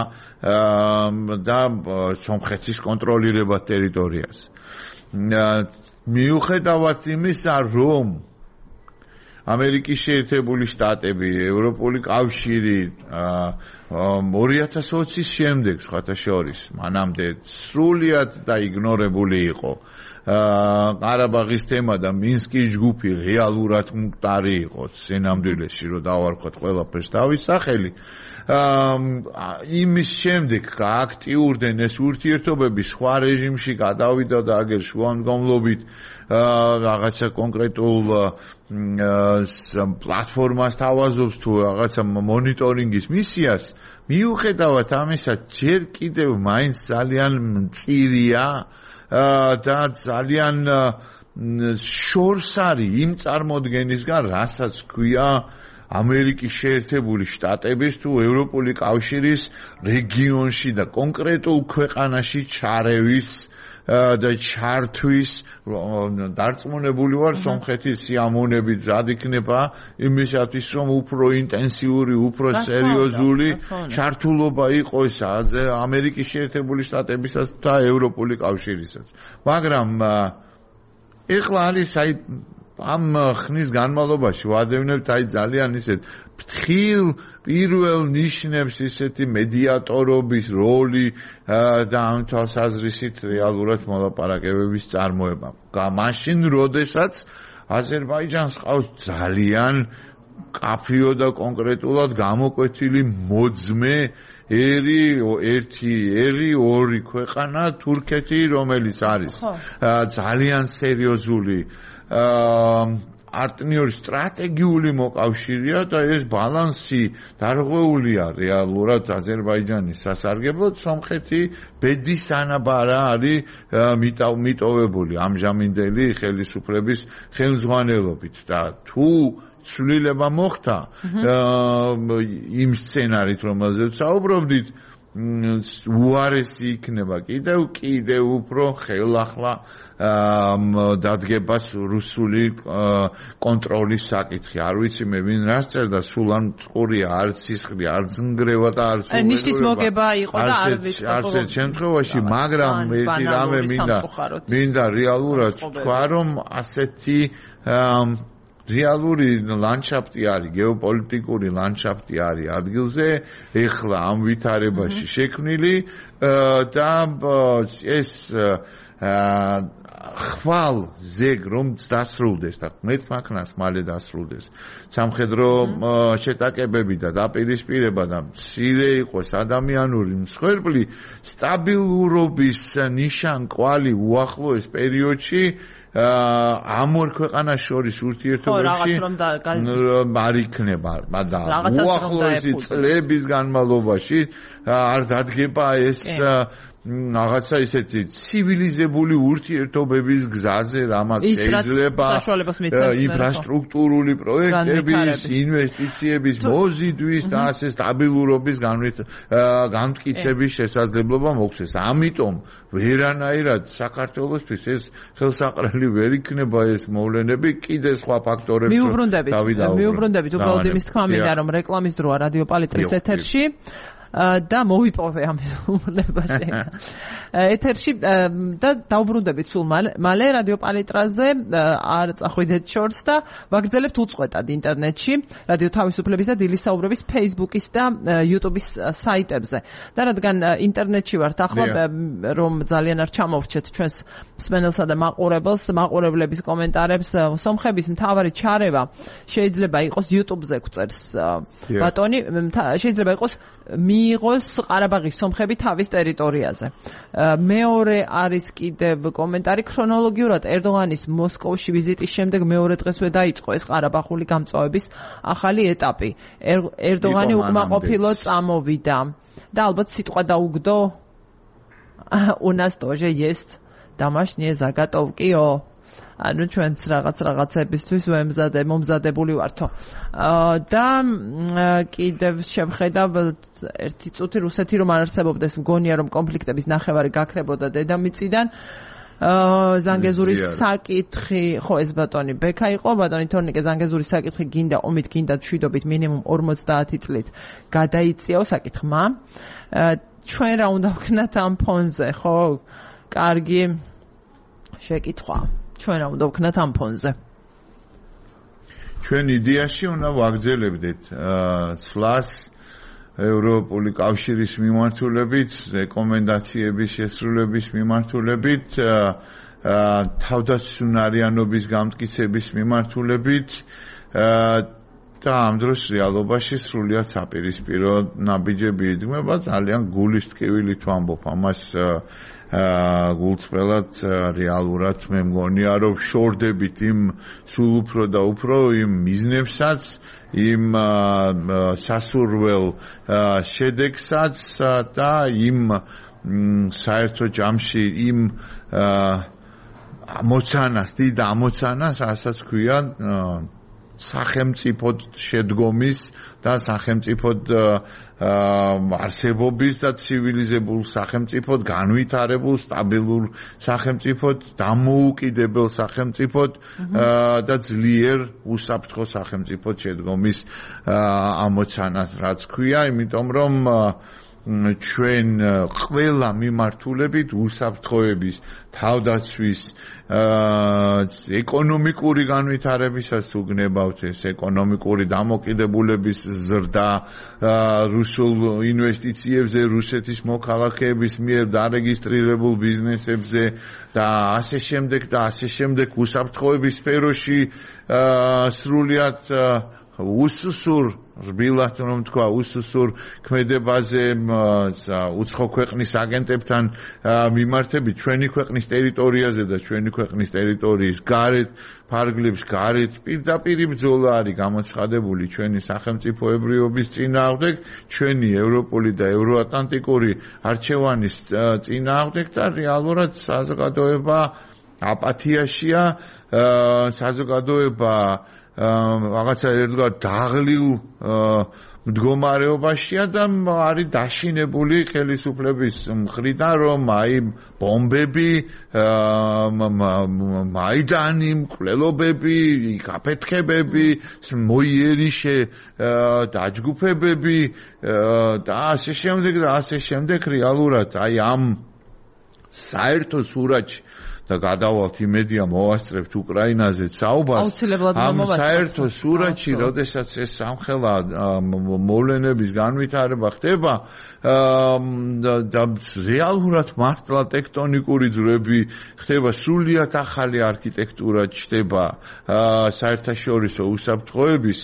S2: და სომხეთის კონტროლირება ტერიტორიას. მიუხედავად იმისა, რომ ამერიკის შეერთებული შტატები, ევროპული კავშირი 2020-ის შემდეგ, სხვათა შორის, მანამდე სრულიად დაიგნორებული იყო. ყარაბაღის თემა და მინსკის ჯგუფი რეალურად მკვდარი იყო სინამდვილეში, რომ დავარქვათ ყველაფერს თავის სახელი. იმის შემდეგ გააქტიურდნენ ეს ურთიერთობები სხვა რეჟიმში გადავიდა და აგერ შუამდგომლობით რაღაცა კონკრეტულ პლატფორმას თავაზობს თუ რაღაცა მონიტორინგის მისიას მიუხედავად ამისა ჯერ კიდევ მაინც ძალიან მწირია და ძალიან შორს არის იმ წარმოდგენისგან, რასაც ქვია ამერიკის შეერთებული შტატების თუ ევროპული კავშირის რეგიონში და კონკრეტულ ქვეყანაში ჩარევის და ჩართვის დარწმუნებული ვარ სომხეთის სიამოვნებით მზად იქნება იმისათვის რომ უფრო ინტენსიური, უფრო სერიოზული ჩართულობა იყოს ამერიკის შეერთებული შტატებისაც და ევროპული კავშირისაც. მაგრამ ეხლა არის ამ ხნის განმავლობაში ვადევნებთ ძალიან ისეთ ფრთხილ პირველ ნიშნებს ისეთი მედიატორობის როლი და ამ თვალსაზრისით რეალურად მოლაპარაკებების წარმოება. მაშინ, როდესაც აზერბაიჯანს ყავს ძალიან კაფიო და კონკრეტულად გამოკვეთილი მოძმე ორი ქვეყანა თურქეთი, რომელიც არის ძალიან სერიოზული პარტნიორი სტრატეგიული მოკავშირეა და ეს ბალანსი დარღვეულია რეალურად აზერბაიჯანის სასარგებლოდ. სომხეთი ბედის ანაბარა არის მიტოვებული ამჟამინდელი ხელისუფლების ხელმძღვანელობით და თუ ცვლილება მოხდა იმ სცენარით, რომელზეც საუბრობდით, უარესი იქნება კიდევ უფრო ხელახლა დადგებას რუსული კონტროლის საკითხი. არ ვიცი მე ვინ რას წერდა, სულ ან წყურია, არც სისხლი, არც ნგრევა და არც
S1: ნიშნის მოგება იყო და არ ვიცი
S2: არც შემთხვევაში, მაგრამ ერთი რამე მინდა რეალურად თქვა, რომ ასეთი რეალური ლანდშაფტი არის, გეოპოლიტიკური ლანდშაფტი არის ადგილზე, ეხლა ამ ვითარებაში შექმნილი და ეს ხვალ ზეგ რომ დასრულდეს და მეთმაქნას მალე დასრულდეს სამხედრო შეტაკებები და დაპირისპირება და მცირე იყოს ადამიანური მსხვერპლი სტაბილურობის ნიშან კვალი უახლოეს პერიოდში ამ ორ ქვეყანას შორის ურთიერთობებში არ იქნება და უახლოესი წლების განმავლობაში არ დადგება ეს რაღაცა ისეთი ცივილიზებული ურთიერთობების გზაზე, რამაც შეიძლება ინფრასტრუქტურული პროექტების, ინვესტიციების მოზიდვის და ასე სტაბილურობის განმტკიცების შესაძლებლობა მოგვცეს. ამიტომ ვერანაირად საქართველოსთვის ეს ხელსაყრელი ვერ იქნება ეს მოვლენები, კიდე სხვა ფაქტორებს
S1: მიუბრუნდებით, უბრალოდ იმის თქმა მინდა, რომ რეკლამის დროა რადიო პალიტრის ეთერში. და მოვიპოვე ამ უბნებაში. ეთერში და დავბრუნდებით სულ მალე რადიო პალიტრაზე არ წახვიდეთ შორს და ვაგრძელებთ უწყვეტად ინტერნეტში რადიო თავისუფლების და დილის საუბრების Facebook-ის და YouTube-ის საიტებზე. და რადგან ინტერნეტში ვართ ახლა რომ ძალიან არ ჩამოვრჩეთ ჩვენს მსმენელსა და მაყურებლების კომენტარებს, სომხების მთავარი ჩარევა შეიძლება იყოს YouTube-ზე გვწერს ბატონი, შეიძლება იყოს მიიღოს ყარაბაღის სომხები თავის ტერიტორიაზე. მეორე არის კიდევ კომენტარი ქრონოლოგიურად ერდოღანის მოსკოვში ვიზიტის შემდეგ მეორე დღესვე დაიწყო ეს ყარაბაღული გამწვავების ახალი ეტაპი. ერდოღანი უკმაყოფილო წამოვიდა და ალბათ სიტყვა დაუგდო у нас тоже есть домашние заготовки-ო. ანუ ჩვენც რაღაცებისთვის მომზადებული ვართო. და კიდევ შევხედავ ერთი წუთი რუსეთი რომ არ არსებობდეს, მგონია რომ კონფლიქტების ნახევარი გაქრებოდა დედამიწიდან. ზანგეზურის საკითხი, ხო ეს ბატონი ბექა იყო, ბატონი თორნიკე ზანგეზურის საკითხი გინდა ომით, გინდა მშვიდობით მინიმუმ 50 წლით გადაიწიაო საკითხმა. ჩვენ რა უნდა ვქნათ ამ ფონზე, ხო? კარგი შეკითხვა. ჩვენ რა უნდა ვქნათ ამ ფონზე?
S2: ჩვენ იდეაში უნდა ვაგრძელებდეთ სვლას ევროპული კავშირის მიმართულებით, რეკომენდაციების შესრულების მიმართულებით, თავდაცუნარიანობის გამტკიცების მიმართულებით და ამ დროს რეალობაში სრულიად საპირისპირო ნაბიჯები იდგმება, ძალიან გულის ტკივილით ვამბობ ამას გულწრფელად რეალურად მე მგონია რომ შორდებით იმ სულ უფრო და უფრო იმ მიზნებსაც, იმ სასურველ შედეგსაც და იმ საერთო ჯამში იმ ამოცანას, დიდ ამოცანას, რასაც ქვია სახელმწიფოდ შედგომის და სახელმწიფოდ არსებობის და ცივილიზებულ სახელმწიფოდ, განვითარებულ, სტაბილურ სახელმწიფოდ, დამოუკიდებელ სახელმწიფოდ და ძლიერ უსაფრთხო სახელმწიფოდ შედგომის ამოცანას, რაც ქვია, იმიტომ რომ ჩვენ ყველა მიმართულებით უსაფრთხოების, თავდაცვის, ეკონომიკური განვითარებისას თუ გნებავთ ეს ეკონომიკური დამოკიდებულების ზრდა, რუსულ ინვესტიციებზე, რუსეთის მოქალაქეების მიერ დარეგისტრირებულ ბიზნესებზე და ასე შემდეგ უსაფრთხოების სფეროში სრულიად უსუსურ რბილად რომ თქვა უსუსურ ქმედებაზე უცხო ქვეყნის აგენტებთან მიმართებით ჩვენი ქვეყნის ტერიტორიაზე და ჩვენი ქვეყნის ტერიტორიის გარეთ ფარგლებს გარეთ პირდაპირ ბრძოლა არის გამოცხადებული ჩვენი სახელმწიფოებრიობის წინააღმდეგ, ჩვენი ევროპული და ევროატლანტიკური არჩევანის წინააღმდეგ და რეალურად საზოგადოება აპათიაშია, საზოგადოება რაღაცა ერთგვარ დაღლილ მდგომარეობაშია და არის დაშინებული ხელისუფლების მხრიდან, რომ აი ბომბები, მაიდანი, მკვლელობები, გაფეთქებები, მოიერიშე დაჯგუფებები და ასე შემდეგ რეალურად აი ამ საერთო სურათში და გადავალთ იმედია მოვასწრებთ უკრაინაზე საუბარს ამ საერთო სურათში, როდესაც ეს სამხელა მოვლენების განვითარება ხდება და რეალურად მართლა ტექტონიკური ძვრები ხდება, სრულიად ახალი არქიტექტურა ჩნდება საერთაშორისო უსაფრთხოების,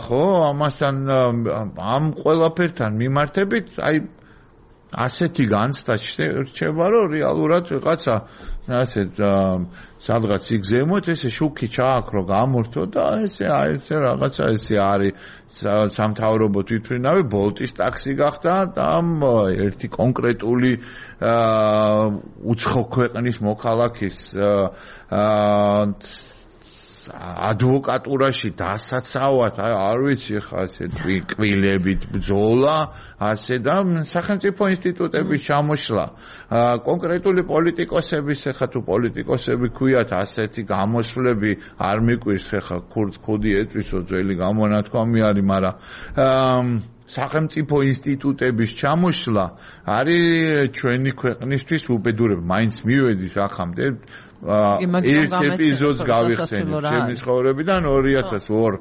S2: ხო, ამასთან ამ ყველაფერთან მიმართებით აი ასეთი განცდა რჩება, რომ რეალურად ვიღაცა ასეთ სადღაც იგზემოთ ესე შუქი ჩააქრო გამორთო და ესე რაღაცა ესე არის სამთავრობო თვითმფრინავი ბოლტის ტაქსი გახდა და ერთი კონკრეტული უცხო ქვეყნის მოქალაქის ადვოკატურაში დასაცავად, არ ვიცი ხა ასე კვილებით ბრძოლა, ასე და სახელმწიფო ინსტიტუტების ჩამოშლა. კონკრეტული პოლიტიკოსების, ხა თუ პოლიტიკოსები ქვიათ ასეთი გამოსვლები არ მიკვირს, ხა ქურდს ქუდი ეწვისო, ძველი გამონათქვამი არის, მაგრამ სახელმწიფო ინსტიტუტების ჩამოშლა არის ჩვენი ქვეყნისთვის უბედურება. მაინც მივედის ახამდე ერთ ეპიზოდს გავიხსენებ ჩემი ცხოვრებიდან 2004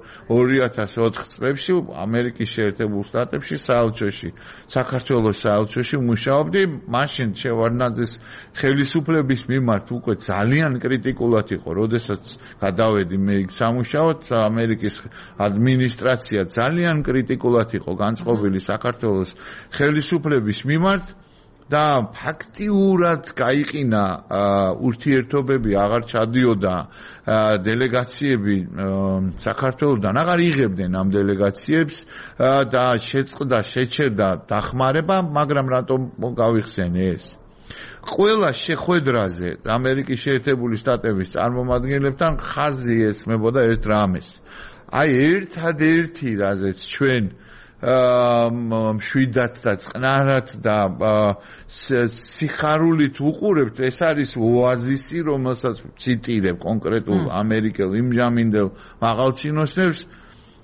S2: წლებში ამერიკის შეერთებულ შტატებში საელჩოში, საქართველოს საელჩოში მუშაობდი. მაშინ შევარდნაძის ხელისუფლების მიმართ უკვე ძალიან კრიტიკულად იყო, როდესაც გადავედი მე სამუშაოდ, ამერიკის ადმინისტრაცია ძალიან კრიტიკულად იყო განწყობილი საქართველოს ხელისუფლების მიმართ. და ფაქტიურად გაიყინა ურთიერთობები, აღარ ჩადიოდა დელეგაციები საქართველოსთან, აღარ იღებდნენ ამ დელეგაციებს და შეწყდა, შეჩერდა დახმარება, მაგრამ რატომ გავიხსენე ეს? ყველა შეხვედრაზე ამერიკის შეერთებული შტატების წარმომადგენლებთან ხაზი ესმებოდა ერთ რამეს. აი ერთადერთი რაზეც ჩვენ მშვიდად და წყნარად და სიხარულით უყურებთ, ეს არის ოაზისი, რომელსაც ციტირებ კონკრეტულ ამერიკელ იმჟამინდელ მაღალჩინოსნებს,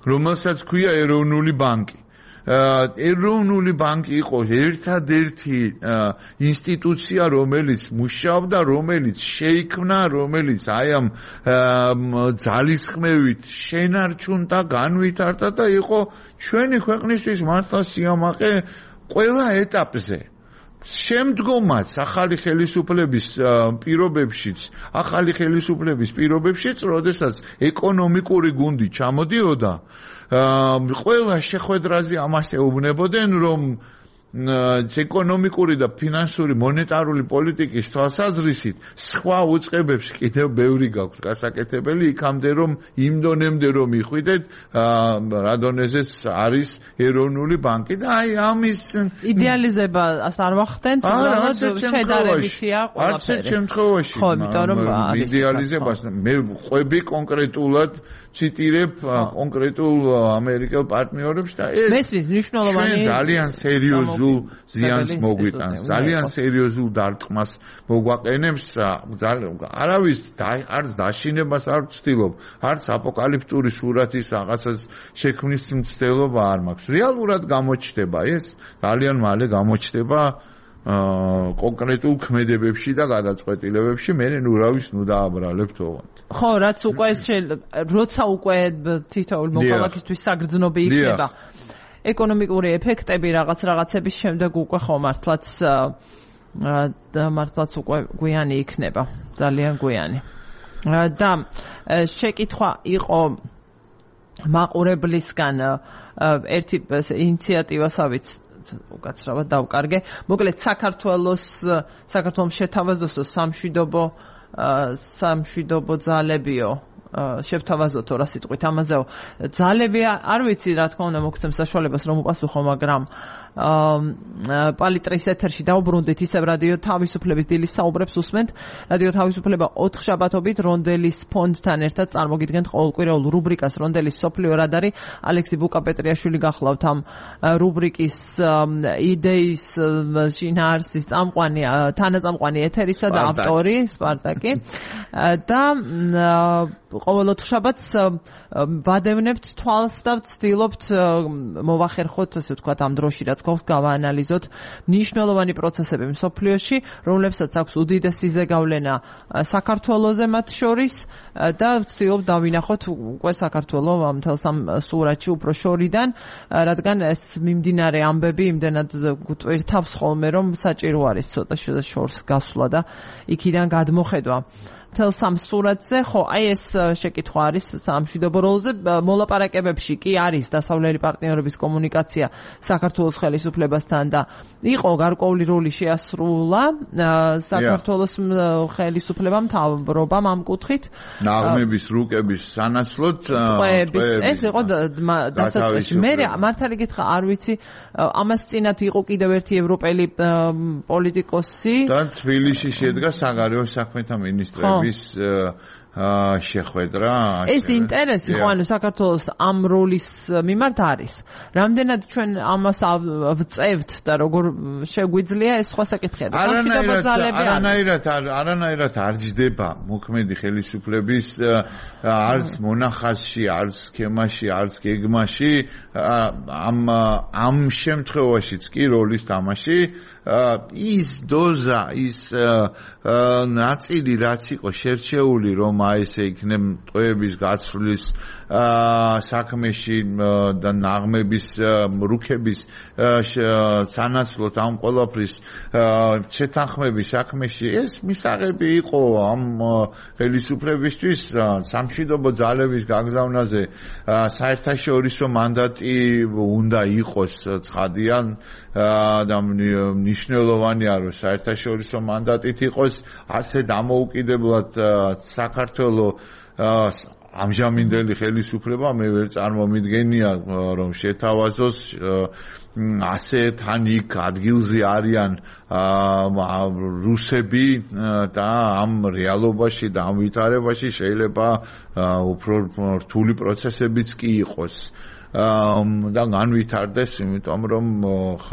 S2: რომელსაც ქვია ეროვნული ბანკი. ეროვნული ბანკი იყო ერთადერთი ინსტიტუცია, რომელიც მუშაობდა, რომელიც შეიქმნა, რომელიც აი ამ ძალისხმევით შენარჩუნდა, განვითარდა და იყო ჩვენი ქვეყნისთვის მართლა სიამაყე ყველა ეტაპზე. შემდგომაც ახალი ხელისუფლების პირობებშიც, როდესაც ეკონომიკური გუნდი ჩამოდიოდა, ყველა შეხვედრაზე ამას ეუბნებოდნენ, რომ ეკონომიკური და ფინანსური მონეტარული პოლიტიკის თვალსაზრისით სხვა უწყებებს კიდევ ბევრი გაქვს გასაკეთებელი, იქამდე რომ იმ დონემდე რომ იხვიდეთ რა დონეზეც არის ეროვნული ბანკი და აი ამის
S1: იდეალიზებას არ ვახდენთ, უბრალოდ შედარებითია ყველაფერი.
S2: არც ერთ შემთხვევაში იდეალიზებას მე ყვები კონკრეტულად ციტირებ კონკრეტულ ამერიკელ პარტნიორებს და ეს
S1: მესმის მნიშვნელოვანი
S2: ძალიან სერიოზულ ზიანს მოგვიტანს, ძალიან სერიოზულ დარტყმას მოგვაყენებს, არავის არც დაშინებას არ ვცდილობ, არც აპოკალიფტური სურათის რაღაცას შექმნის მცდელობა არ მაქვს. რეალურად გამოჩნდება ეს, ძალიან მალე გამოჩნდება კონკრეტულ ქმედებებში და გადაწყვეტილებებში, მე ნურავის ნუ დააბრალებთ ოღონდ.
S1: ხო, როცა უკვე თითოეულ მოქალაქისთვის საგრძნობი იქნება ეკონომიკური ეფექტები რაღაცების შემდეგ უკვე ხო მართლაც უკვე გვიანი იქნება, ძალიან გვიანი. და შეკითხვა იყო მაყურებლისგან ერთი ინიციატივასაც უკაცრავად დავკარგე. მოკლედ საქართველოს შეთავაზოსო სამშვიდობო ძალებიო შევთავაზოთო რა სიტყვით ამაზეო ძალები არ ვიცი რა თქმა უნდა მოგცემ საშუალებას რომ უპასუხო, მაგრამ პალიტრის ეთერში დაუბრუნდით ისევ რადიო თავისუფლების დილის საუბრებს უსმენთ. რადიო თავისუფლება 4 შაბათობით რონდელის ფონდთან ერთად წარმოგიდგენთ ყოველკვირეულ რუბრიკას რონდელის სოფლიო რადარი. ალექსი ბუკაპეტრიაშვილი გახლავთ ამ რუბრიკის იდეის შინაარსის თანაწამყვანი ეთერისა და ავტორი სპარტაკი და ყოველ 4 შაბათს ვადევნებთ თვალს და ვცდილობთ მოვახერხოთ, ასე ვთქვათ, ამ დროში რაც გვაქვს, გავაანალიზოთ მნიშვნელოვანი პროცესები მსოფლიოში, რომლებსაც აქვს უდიდესი ზეგავლენა საქართველოზე მათ შორის და ვცდილობთ დავინახოთ უკვე საქართველო მთელს ამ სურათში უფრო შორიდან, რადგან ეს მიმდინარე ამბები იმდენად გვტვირთავს ხოლმე, რომ საჭირო არის ცოტა შორს გასვლა და იქიდან გადმოხედვა. თელ სამ სურათზე, ხო, აი ეს შეკითხვა არის სამშვიდობო როლზე. მოლაპარაკებებში კი არის დასავლელი პარტნიორების კომუნიკაცია საქართველოს ხელისუფლებასთან და იყო გარკვეული როლი შეასრულა საქართველოს ხელისუფლებამ, მთავრობამ ამ კუთხით.
S2: ნაღმების რუკების სანაცვლოდ
S1: ეს იყო დასაწყისი. მე მართალი გითხრა, არ ვიცი, ამას წინათ იყო კიდევ ერთი ევროპელი პოლიტიკოსი
S2: და თბილისში შედგა საგარეო საქმეთა მინისტრები შეხვედრა.
S1: ეს ინტერესი ხო ანუ საქართველოს ამ როლის მიმართ არის. რამდენად ჩვენ ამას ვწევთ და როგორ შეგვიძლია ეს სხვა საკითხია.
S2: არანაირად არ ჯდება მოქმედი ხელისუფლების არც მონახაზში, არც სქემაში, არც გეგმაში ამ შემთხვევაშიც კი როლის თამაში ის დოზა ის ნაწილი რაც იყო შერჩეული რომ ესე იქნებ ტყვეების გაცვლის საქმეში და ნაღმების რუქების სანაცვლოდ ამ ყველაფრის შეთანხმების საქმეში ეს მისაღები იყო ამ ხელისუფლებისთვის სამშვიდობო ძალების გაგზავნაზე საერთაშორისო მანდატი უნდა იყოს ცხადიან და მნიშვნელოვანია რომ საერთაშორისო მანდატით იყოს ასე დამოუკიდებლად საქართველოს ამჟამინდელი ხელისუფლება მე ვერ წარმომიდგენია რომ შეთავაზოს ასე თან იქ ადგილზე არიან რუსები და ამ რეალობაში და ამ ვითარებაში შეიძლება უფრო რთული პროცესებიც კი იყოს და განვითარდეს იმიტომ რომ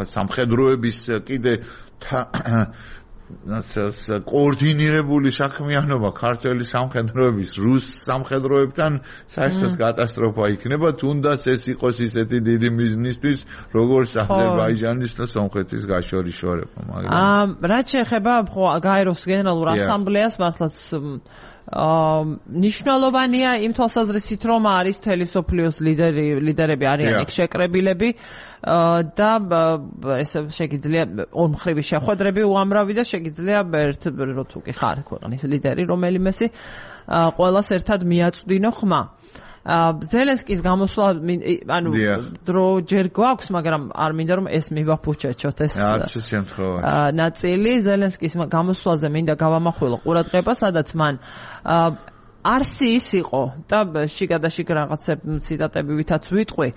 S2: სამხედროების კიდე კოორდინირებული საქმიანობა ქართველი სამხედროების რუს სამხედროებთან საერთოდ კატასტროფა იქნება თუნდაც ეს იყოს ისეთი დიდი მიზნისთვის როგორც აზერბაიჯანის და სომხეთის გაშორიშორება
S1: მაგრამ რაც შეეხება გაეროს გენერალურ ასამბლეას მართლაც ნიშნულოვანია იმ თვალსაზრისით რომ არის თელისოფლიოს ლიდერები არიან იქ შეკრებილები და ესე შეგიძლია ორმხრივი შეხვედრები უამრავი და შეგიძლია ერთ თუ კი ხარ ქვეყნის ლიდერი რომელიმესი ყველას ერთად მიაწვდინო ხმა ზელენსკის გამოსვლა ანუ დრო ჯერ გვაქვს მაგრამ არ მინდა რომ ეს მივაფუჩეჩოთ ეს ნაწილი ზელენსკის გამოსვლაზე მინდა გავამახვილო ყურადღება სადაც მან არსის იყო და შიგადაშიგ რაღაცებ ციტატები ვითაც ვიტყვი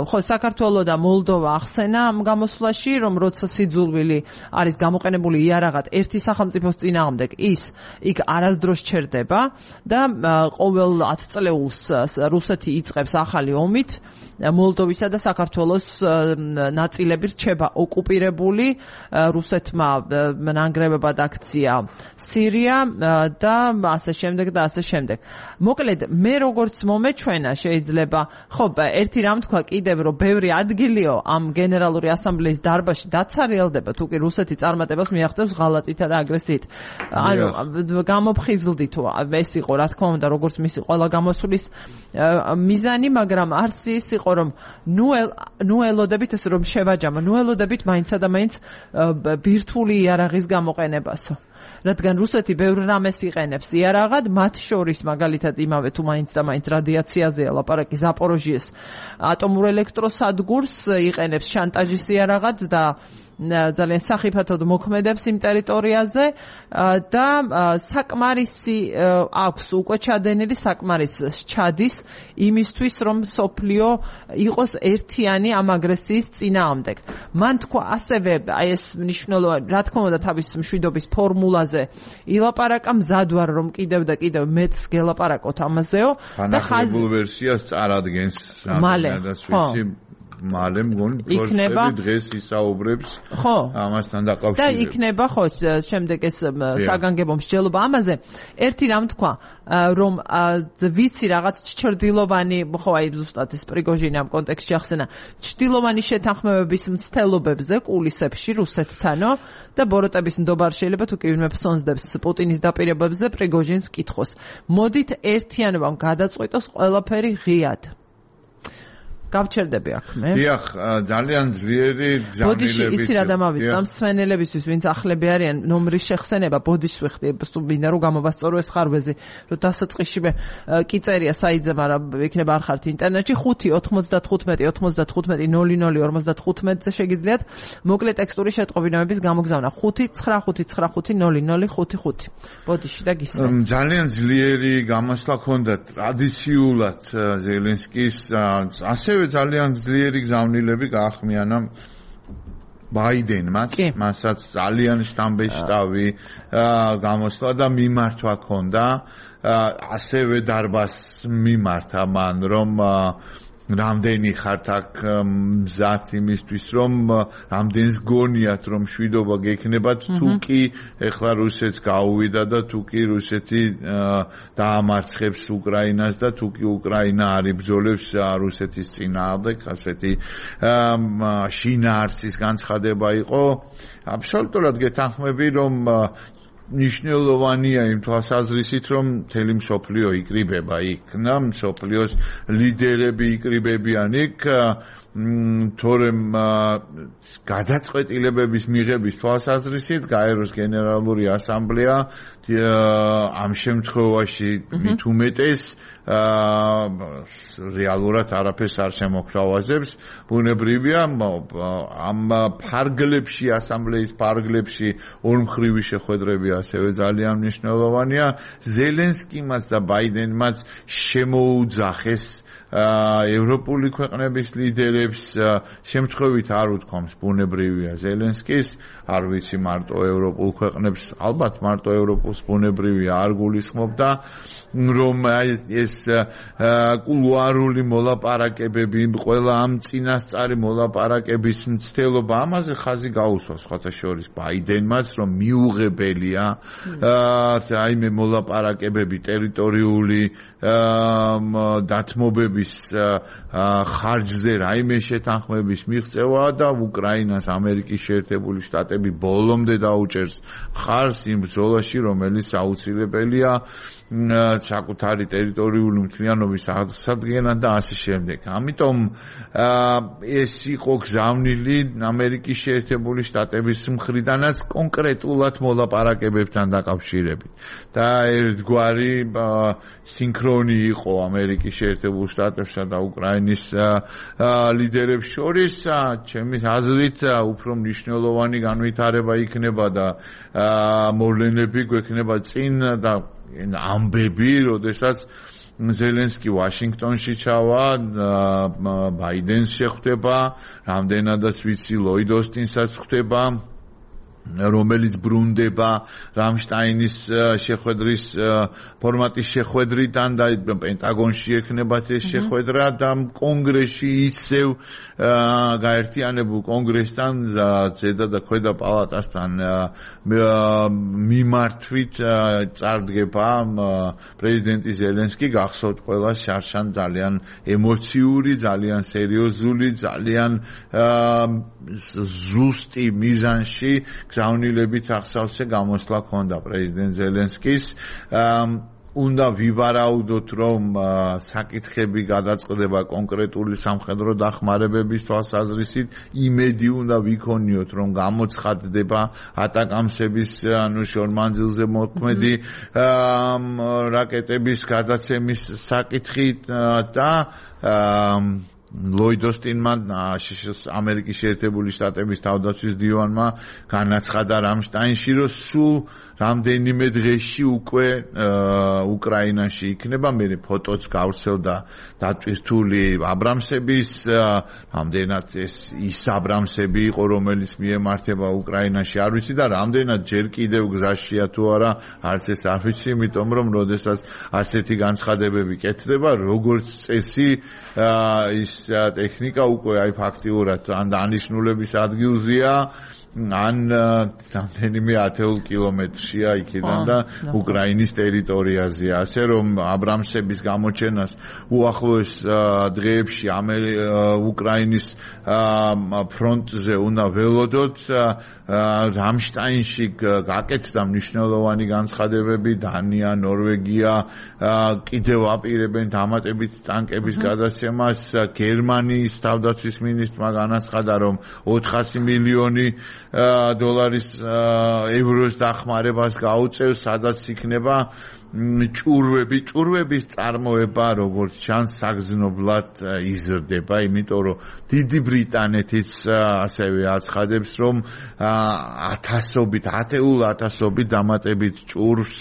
S1: ხო საქართველო და მოლდოვა ახსენა ამ გამოსვლაში რომ როცა სიძულვილი არის გამოყენებული იარაღად ერთი სახელმწიფოს წინააღმდეგ ის იქ არასდროს ჩერდება და ყოველ 10 წლეულს რუსეთი იწყებს ახალი ომით მოლდოვისა და საქართველოს ნაწილები რჩება ოკუპირებული რუსეთმა ნანგრევებად აქცია სირია და ასე შემდეგ და ასე შემდეგ. მოკლედ მე როგორც მომეჩვენა შეიძლება ხო ერთი რამ თქვა კიდევ რომ ბევრი ადგილიო ამ გენერალური ასამბლეის დარბაზში დაცარიელდება თუ კი რუსეთი წარმატებას მიაღწევს ღალატითა და აგრესიით. ანუ გამოფხიზლდით ეს იყო რა თქმა უნდა როგორც მისი ყველა გამოსვლის მიზანი მაგრამ არსის იყო რომ ნუ ელოდებით ეს რომ შევაჯამა ნუ ელოდებით მაინცსა და მაინც ბირთვული იარაღის გამოყენებასო რადგან რუსეთი ბევრ რამეს იყენებს იარაღად მათ შორის მაგალითად იმავე თუ მაინც და მაინც რადიაციაზეა ლაპარაკი ზაპოროჟიეს ატომურ ელექტროსადგურს იყენებს შანტაჟის იარაღად და ძალიან სახიფათოდ მოქმედებს იმ ტერიტორიაზე და საკმარისი აქვს უკვე ჩადენილი საკმარის ჩადის იმისთვის რომ სოფლიო იყოს ერთიანი ამ აგრესიის წინააღმდეგ. მან თქვა ასევე აი ეს მნიშვნელოვანი რა თქმა უნდა თავის მშვიდობის ფორმულაზე ილაპარაკა მზად ვარ რომ კიდევ და კიდევ მეც გელაპარაკოთ ამაზეო
S2: და ხაზი ვერსიას წარადგენს
S1: მალე
S2: მალე მგონი პროცესები დღეს ისაუბრებს ამასთან დაკავშირებით
S1: და იქნება ხო შემდეგ ეს საგანგებო მსჯელობა ამაზე ერთი რამ თქვა რომ ვიცი რაღაც ჩრდილოვანი ხო აი ზუსტად ეს პრიგოჟინი ამ კონტექსტში ახსენა ჩრდილოვანი შეთანხმებების მცდელობებზე კულისებში რუსეთთანო და ბოროტების ნდობარ შეიძლება თუ კი ვინმე ფსონსდებს პუტინის დაპირებებზე პრიგოჟინს კითხოს მოდით ერთიანობამ გადაწყვიტოს ყველაფერი ღიად გავჩერდები აქ მე.
S2: დიახ, ძალიან ძლიერი გზავნილები.
S1: ბოდიში იცი რა დამავიწყდა მსვენელებისთვის, ვინც ახლები არიან ნომრის შეხსენება, ბოდიშს ვიხდი, მინდა რომ გამოვასწორო ეს ხარვეზი, რომ დასაწყისშივე კი წერია საიძე, მაგრამ იქნება არ ხართ ინტერნეტში 5-95-95-00-55-ზე შეგიძლიათ მოკლე ტექსტური შეტყობინებების გამოგზავნა 5-9-5-9-0-0-5-5. ბოდიში და გისმენთ.
S2: ძალიან ძლიერი გამოსვლა ჰქონდა ტრადიციულად ზელენსკის ასევე ძალიან ძლიერი გზავნილები გაახმიანა ბაიდენმაც მასაც ძალიან შტამბე შტავი გამოსვლა და მიმართვა ჰქონდა ასევე დარბაზს მიმართა მან რომ რამდენი ხართ აქ მზად იმისთვის რომ რამდენს გონიათ რომ შვიდობა გექნებათ თუ კი ეხლა რუსეთს გაუვიდა და თუ კი რუსეთი დაამარცხებს უკრაინას და თუ კი უკრაინა არ იბრძოლებს რუსეთის წინააღმდეგ ასეთი შინაარსის განცხადება იყო აბსოლუტურად გეთანხმები რომ ნიშნულოვანია იმ თვალსაზრისით რომ მთელი მსოფლიო იკრიბება იქ და მსოფლიოს ლიდერები იკრიბებიან იქ თორემ გადაწყვეტილებების მიღების თვალსაზრისით გაეროს გენერალური ასამბლეა ამ შემთხვევაში მით უმეტეს რეალურად არაფერს არ შემოქრავაზებს ბუნებრივია ამ ფარგლებში ასამბლეის ფარგლებში ორმხრივი შეხვედრები ასევე ძალიან მნიშვნელოვანია ზელენსკიმაც და ბაიდენმაც შემოუძახეს ევროპული ქვეყნების ლიდერებს შემთხვევით არ უთქვამს ბუნებრივია ზელენსკის არ ვიცი მარტო ევროპულ ქვეყნებს ალბათ მარტო ევროპულს ბუნებრივია არ გულისხმობდა რომ ეს კულუარული მოლაპარაკებები ყველა ამ წინასწარი მოლაპარაკების მცდელობა ამაზე ხაზი გაუსვას სხვათა შორის ბაიდენმაც რომ მიუღებელია რაიმე მოლაპარაკებები ტერიტორიული დათმობების ხარჯზე რაიმე შეთანხმების მიღწევა და უკრაინას ამერიკის შეერთებული შტატები ბოლომდე დაუჭერს ხარს იმ ბრძოლაში რომელიც აუცილებელია საკუთარი ტერიტორიული მთლიანობის აღსადგენად და ასე შემდეგ. ამიტომ ეს იყო გზავნილი ამერიკის შეერთებული შტატების მხრიდანაც კონკრეტულად მოლაპარაკებებთან დაკავშირებით. და ერთგვარი სინქრონი იყო ამერიკის შეერთებულ შტატებსა და უკრაინის ლიდერებს შორის, ჩემი აზრით, უფრო მნიშვნელოვანი განვითარება იქნება და მოვლენები გვექნება წინ და ამბები, როდესაც ზელენსკი ვაშინგტონში ჩავა, ბაიდენს შეხვდება, რამდენადაც ვიცი ლოიდ ოსტინსაც ხვდება, რომელიც ბრუნდება რამშტაინის შეხვედრის ფორმატის შეხვედრიდან და პენტაგონში ექნებათ ეს შეხვედრა და კონგრესში ისევ გაერთიანებულ კონგრესთან ზედა და ქვედა პალატასთან მიმართვით წარდგება პრეზიდენტი ზელენსკი გახსოვთ ყველა შარშან ძალიან ემოციური, ძალიან სერიოზული, ძალიან ზუსტი მიზანში გზავნილებით ახსავსე გამოსვლა ჰქონდა პრეზიდენტ ზელენსკის უნდა ვივარაუდოთ რომ საკითხები გადაწყდება კონკრეტული სამხედრო დახმარებების თვალსაზრისით იმედი უნდა ვიქონიოთ რომ გამოცხადდება ატაკამსების ანუ შორმანძილზე მოქმედი რაკეტების გადაცემის საკითხი და ლოიდ ოსტინმა ამერიკის შეერთებული შტატების თავდაცვის დივანმა განაცხადა რამშტაინში რომ სულ რამდენიმე დღეში უკვე უკრაინაში იქნება მე ფოტოც გავრცელდა დატვირთული აბრამსების რამდენად ის აბრამსები იყო რომელიც მიემართება უკრაინაში არ ვიცი და რამდენად ჯერ კიდევ გზაშია თუ არა არც ეს არ ვიცი იმიტომ რომ როდესაც ასეთი განცხადებები კეთდება როგორც წესი ის ტექნიკა უკვე აი ფაქტიურად ან დანიშნულების ადგილზეა ან რამდენიმე 10 კილომეტრშია იქიდან და უკრაინის ტერიტორიაზეა ასე რომ აბრამსების გამოჩენას უახლოეს დღეებში უკრაინის ფრონტზე უნდა ველოდოთ რამშტაინში გაკეთდა მნიშვნელოვანი განცხადებები დანია, ნორვეგია კიდევ აპირებენ დამატებით ტანკების გადაცემას გერმანიის თავდაცვის მინისტრმა განაცხადა რომ 400 მილიონი დოლარის ევროს დახმარებას გაუწევს სადაც იქნება ჭურვების წარმოება როგორც ჩანს საგრძნობლად იზრდება იმიტომ რომ დიდი ბრიტანეთიც ასევე აცხადებს რომ ათეულ ათასობით დამატებით ჭურვს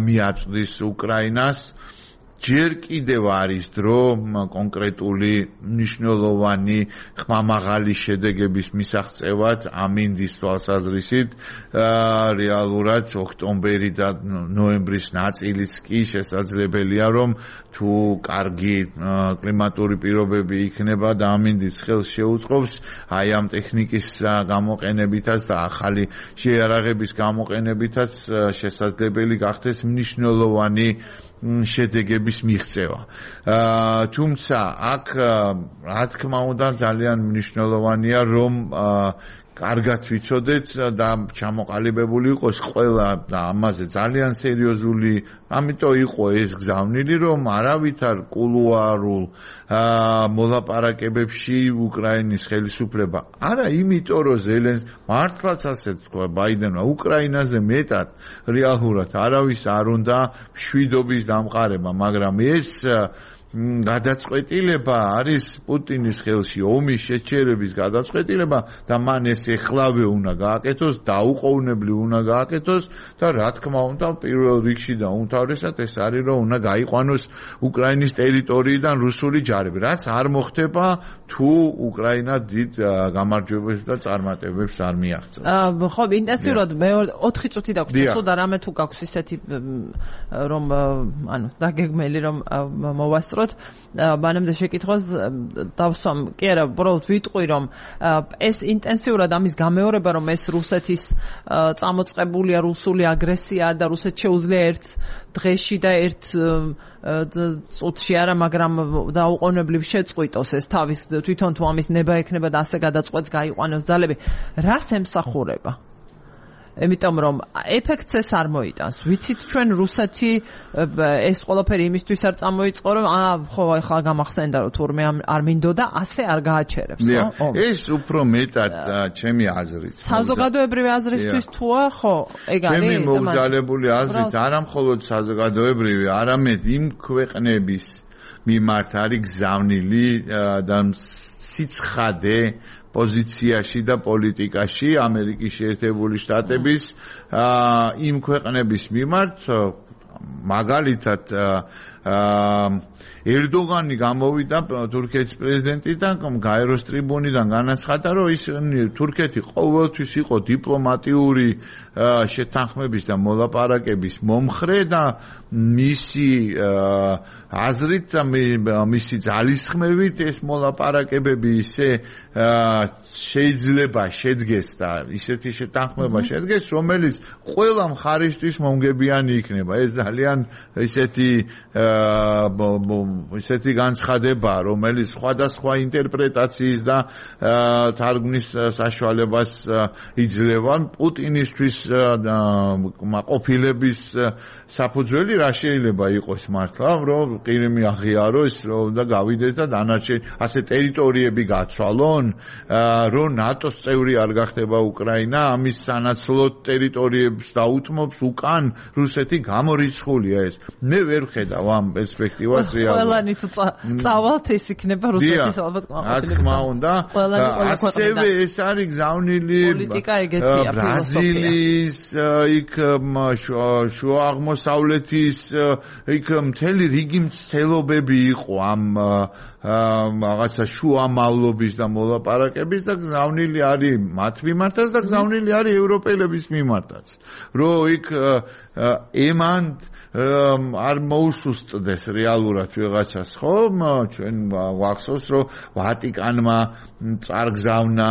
S2: მიაწვდის უკრაინას ჯერ კიდევ არის დრო კონკრეტული მნიშვნელოვანი ხმამაღალი შედეგების მისაღწევად ამინდის თვალსაზრისით რეალურად ოქტომბერი და ნოემბრის ნაწილიც კი შესაძლებელია რომ თუ კარგი კლიმატური პირობები იქნება და ამინდის ხელს შეუწყობს აი ამ ტექნიკის გამოყენებითაც და ახალი შეიარაღების გამოყენებითაც შესაძლებელი გახდეს მნიშვნელოვანი შედეგების მიღწევა. თუმცა აქ რა თქმა უნდა ძალიან მნიშვნელოვანია რომ კარგად ვიცოდეთ და ჩამოყალიბებული იყოს ყველა და ამაზე ძალიან სერიოზული, ამიტომ იყო ეს გზავნილი, რომ არავითარ კულუარულ მოლაპარაკებებში უკრაინის ხელისუფლება არა იმიტომ რომ მართლაც ასე თქვა ბაიდენმა უკრაინაზე მეტად რეალურად არავის არ უნდა მშვიდობის დამყარება, მაგრამ ეს გადაწყვეტილება არის პუტინის ხელში, ომის შეჩერების გადაწყვეტილება და მან ეს ეხლავე უნდა გააკეთოს, დაუყოვნებლივ უნდა გააკეთოს და რა თქმა უნდა პირველ რიგში და უმთავრესად ეს არის რომ უნდა გაიყვანოს უკრაინის ტერიტორიიდან რუსული ჯარები, რაც არ მოხდება თუ უკრაინა დიდ გამარჯვებებს და წარმატებებს არ მიაღწევს.
S1: ხო, ინტენსიურად მე 4 წუთი დაგვს და რამე თუ გაქვს ისეთი რომ ანუ დაგეგმელი რომ მოვასწრო მანამდე შეკითხვას დავსვამ. კი არა, უბრალოდ ვიტყვი რომ ეს ინტენსიურად ამის გამეორება რომ ეს რუსეთის წამოწყებულია რუსული აგრესია და რუსეთს შეუძლია ერთ დღეში და ერთ წუთში არა, მაგრამ დაუყოვნებლივ შეწყვიტოს ეს თავის თვითონ თუ ამის ნება ექნება და ასე გადაწყვეტს გაიყვანოს ძალები. რას ემსახურება? იმიტომ რომ ეფექტს ეს არ მოიტანს. ვიცით ჩვენ რუსეთი ეს ყველაფერი იმისთვის არ წამოიწყო რომ ხო ახლა გამახსენდა რომ თურმე არ მინდოდა ასე არ გააჩერებს, ხო?
S2: ეს უფრო მეტად ჩემი აზრით.
S1: საზოგადოებრივი აზრისთვის თუა, ხო? ეგ არის.
S2: ჩემი მოგზალებული აზრით არა მხოლოდ საზოგადოებრივი, არამედ იმ ქვეყნების მიმართ არის გზავნილი და სიცხადე პოზიციაში და პოლიტიკაში ამერიკის შეერთებული შტატების იმ ქვეყნების მიმართ მაგალითად ერდოღანი გამოვიდა თურქეთის პრეზიდენტიდან გაეროს ტრიბუნიდან განაცხადა რომ ის თურქეთი ყოველთვის იყო დიპლომატიური შეთანხმების და მოლაპარაკების მომხრე და მისი აზრით და მისი ძალისხმევით ეს მოლაპარაკებები ისე შეიძლება შედგეს და ისეთი შეთანხმება შედგეს რომელიც ყველა მხარისთვის მომგებიანი იქნება. ეს ძალიან ისეთი განცხადება, რომელიც სხვადასხვა ინტერპრეტაციის და თარგმნის საშუალებას იძლევა. პუტინისთვის ყოფილების საფუძველი რა შეიძლება იყოს მართლა, რომ ყირიმი აღიაროს და გავიდეს და დანარჩენი ასე ტერიტორიები გაცვალონ, რომ ნატოს წევრი არ გახდება უკრაინა, ამის სანაცვლოდ ტერიტორიებს დაუთმობს უკან რუსეთი გამორიცხულია ეს. მე ვერ ხედავ ამ პერსპექტივას რეალურად.
S1: ყველანი თუ წავალთ ეს იქნება რუსეთის ალბათ
S2: ყოფილების. რა თქმა უნდა, ასევე ეს არის გზავნილი
S1: პოლიტიკა ეგეთია,
S2: ბრაზილიის, იქ შუა აღმოსავლეთის, იქ მთელი რიგი მცდელობები იყო ამ რაღაცა შუამავლობის და მოლაპარაკების და გზავნილი არის მათ მიმართაც და გზავნილი არის ევროპელების მიმართაც. რომ იქ ემანდ არ მოუსუსტდეს რეალურად ვიღაცას, ხო? ჩვენ გვახსოვს, რომ ვატიკანმა წარგზავნა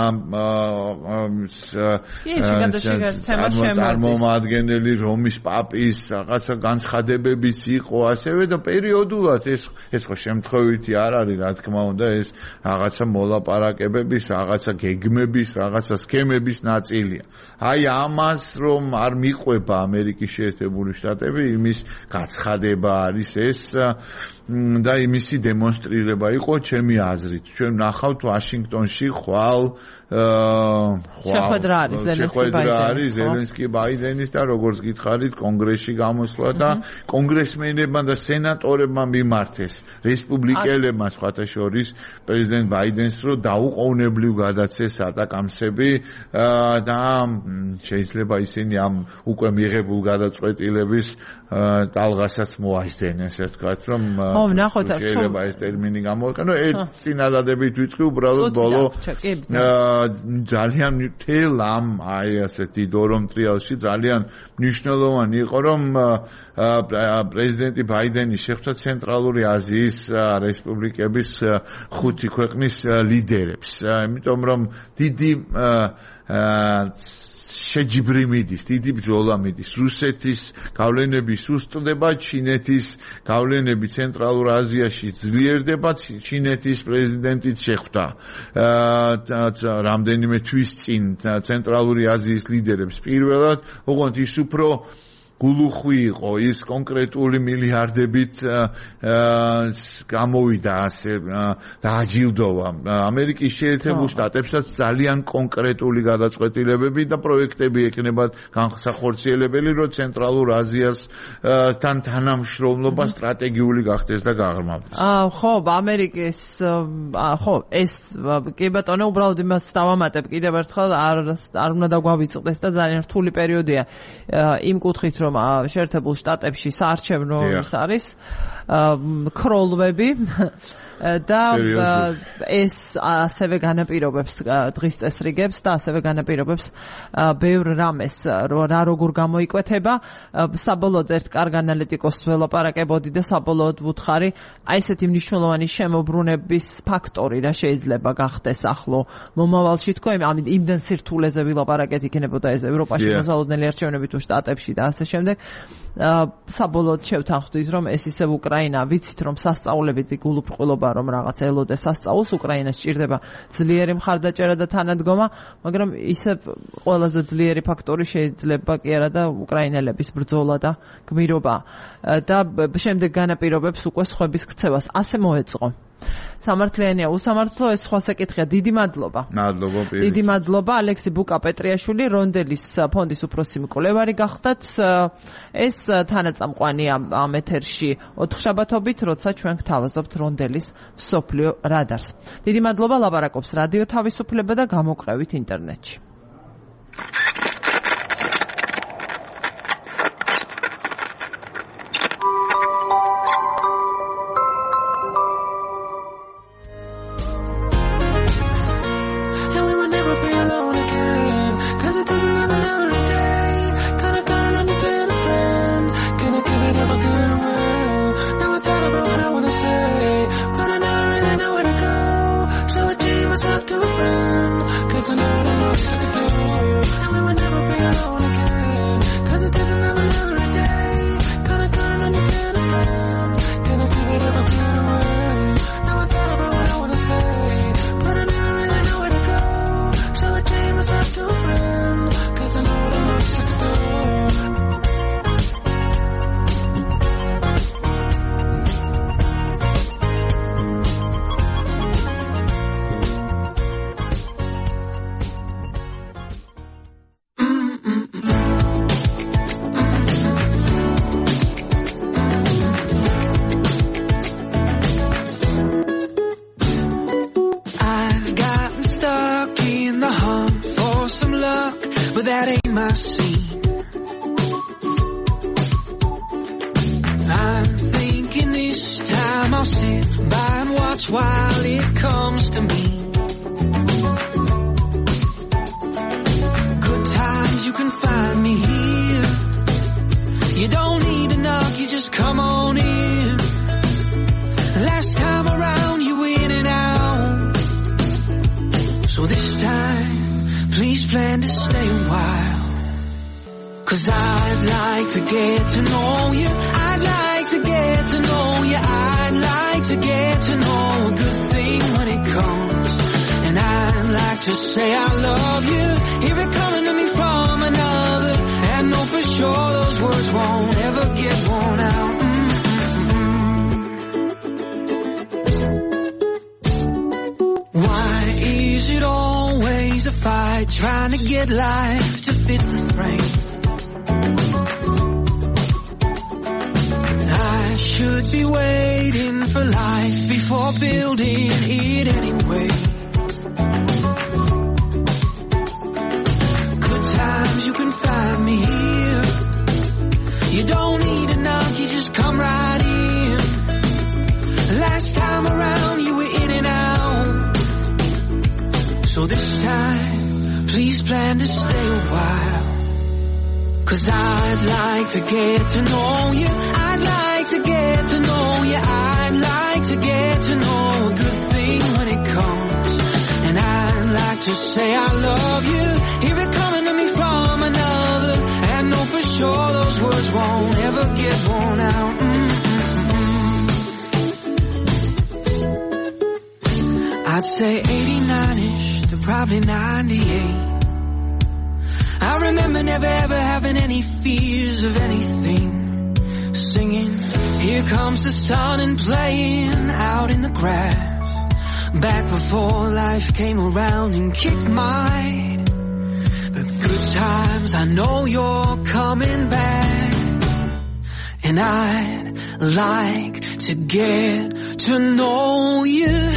S2: წარმომადგენელი რომის პაპის რაღაცა განცხადებებიც იყო ასევე და პერიოდულად ეს ხო შემთხვევითი არ არის, რა თქმა უნდა, ეს რაღაცა მოლაპარაკებების, რაღაცა გეგმების, რაღაცა სქემების ნაწილია. აი ამას რომ არ მიყვება ამერიკის შეერთებული შტატები, იმის გაცხადება არის ეს და იმისი დემონსტრირება იყო ჩემი აზრით. ჩვენ ნახავთ ვაშინგტონში ხვალ
S1: შეხვედრა არის
S2: ზელენსკი ბაიდენის და როგორც გითხარით კონგრესში გამოსვლა და კონგრესმენებმა და სენატორებმა მიმართეს რესპუბლიკელებმა სხვათა შორის პრეზიდენტ ბაიდენს რომ დაუყოვნებლივ გადაცეს ატაკამსები და შეიძლება ისინი ამ უკვე მიღებულ გადაწყვეტილების ტალღასაც მოასდენენ ასე ვთქვათ რომ შეიძლება ეს ტერმინი გამოიყენო ერთ წინადადებით ვიტყვი უბრალოდ ბოლო ძალიან თელ ამ ასეთი დორომ ტრიალში ძალიან მნიშვნელოვანი იყო რომ პრეზიდენტი ბაიდენი შეხვდა ცენტრალური აზიის რესპუბლიკების 5 ქვეყნის ლიდერებს იმიტომ რომ დიდი შეჯიბრი მიდის, დიდი ბრძოლა მიდის. რუსეთის გავლენები სუსტდება, ჩინეთის გავლენები ცენტრალურ აზიაში ძლიერდება, ჩინეთის პრეზიდენტიც შეხვდა რამდენიმე თვის წინ ცენტრალური აზიის ლიდერებს პირველად, ოღონდ ის უფრო გულუხვი იყო ის კონკრეტული მილიარდებით გამოვიდა ასე დააჯილდოვა ამერიკის შეერთებულ შტატებსაც ძალიან კონკრეტული გადაწყვეტილებები და პროექტები ექნებათ განსახორციელებელი რომ ცენტრალურ აზიას თან თანამშრომლობა სტრატეგიული გახდეს და გაღრმავდეს.
S1: ხო, ამერიკის ხო, ეს კი ბატონო უბრალოდ იმას დავამატებ კიდევ ერთხელ არ უნდა დაგვავიწყდეს და ძალიან რთული პერიოდია იმ კუთხით რომ შეერთებულ შტატებში საარჩევნო არის ქროლვები და ეს ასევე განაპირობებს დღის წესრიგებს და ასევე განაპირობებს ბევრ რამეს რა როგორ გამოიკვეთება საბოლოოდ ერთ კარგ ანალიტიკოსს ველაპარაკებოდი და საბოლოოდ ვუთხარი აი ესეთი მნიშვნელოვანი შემოbrunების ფაქტორი რა შეიძლება გახდეს ახლო მომავალში თქო იმდენ სირთულეზე ვილაპარაკეთ იქნებოდა ეს ევროპაში მოსალოდნელი არჩევნები თუ შტატებში და ასე შემდეგ საბოლოოდ შევთანხმდით რომ ეს ისევ უკრაინა ვიცით რომ სასწაულებითი გულუბრყვილობა რომ რაღაც ელოდეს სასწაულს უკრაინას სჭირდება ძლიერი მხარდაჭერა და თანადგომა მაგრამ ისევ ყველაზე ძლიერი ფაქტორი შეიძლება კი არა და უკრაინელების ბრძოლა და გმირობა და შემდეგ განაპირობებს უკვე სხვების ქცევას ასე მოეწყო სამართლიანია უსამართლო ეს სხვა საკითხია დიდი მადლობა დიდი მადლობა ალექსი ბუკა-პეტრიაშვილი რონდელის ფონდის უფროსი მკვლევარი გახდათ ეს თანაწამყვანია ამ ეთერში 4 შაბათობით როცა ჩვენ გთავაზობთ რონდელის მსოფლიო რადარს დიდი მადლობა ლაპარაკობს რადიო თავისუფლება და გამოყევით ინტერნეტში
S3: trying to get life to fit the frame. I should be waiting for life before building it anyway. Good times you can find me here. You don't need a knock, you just come right in. Last time around you were in and out. So this time, please plan to stay a while. 'Cause I'd like to get to know you. I'd like to get to know you. I'd like to get to know a good thing when it comes. And I'd like to say I love you. Hear it coming to me from another. And know for sure those words won't ever get worn out. I'd say 89ish to probably 98. I remember never ever having any fears of anything. Singing, here comes the sun and playing out in the grass. Back before life came around and kicked my. But good times, I know you're coming back. And I'd like to get to know you.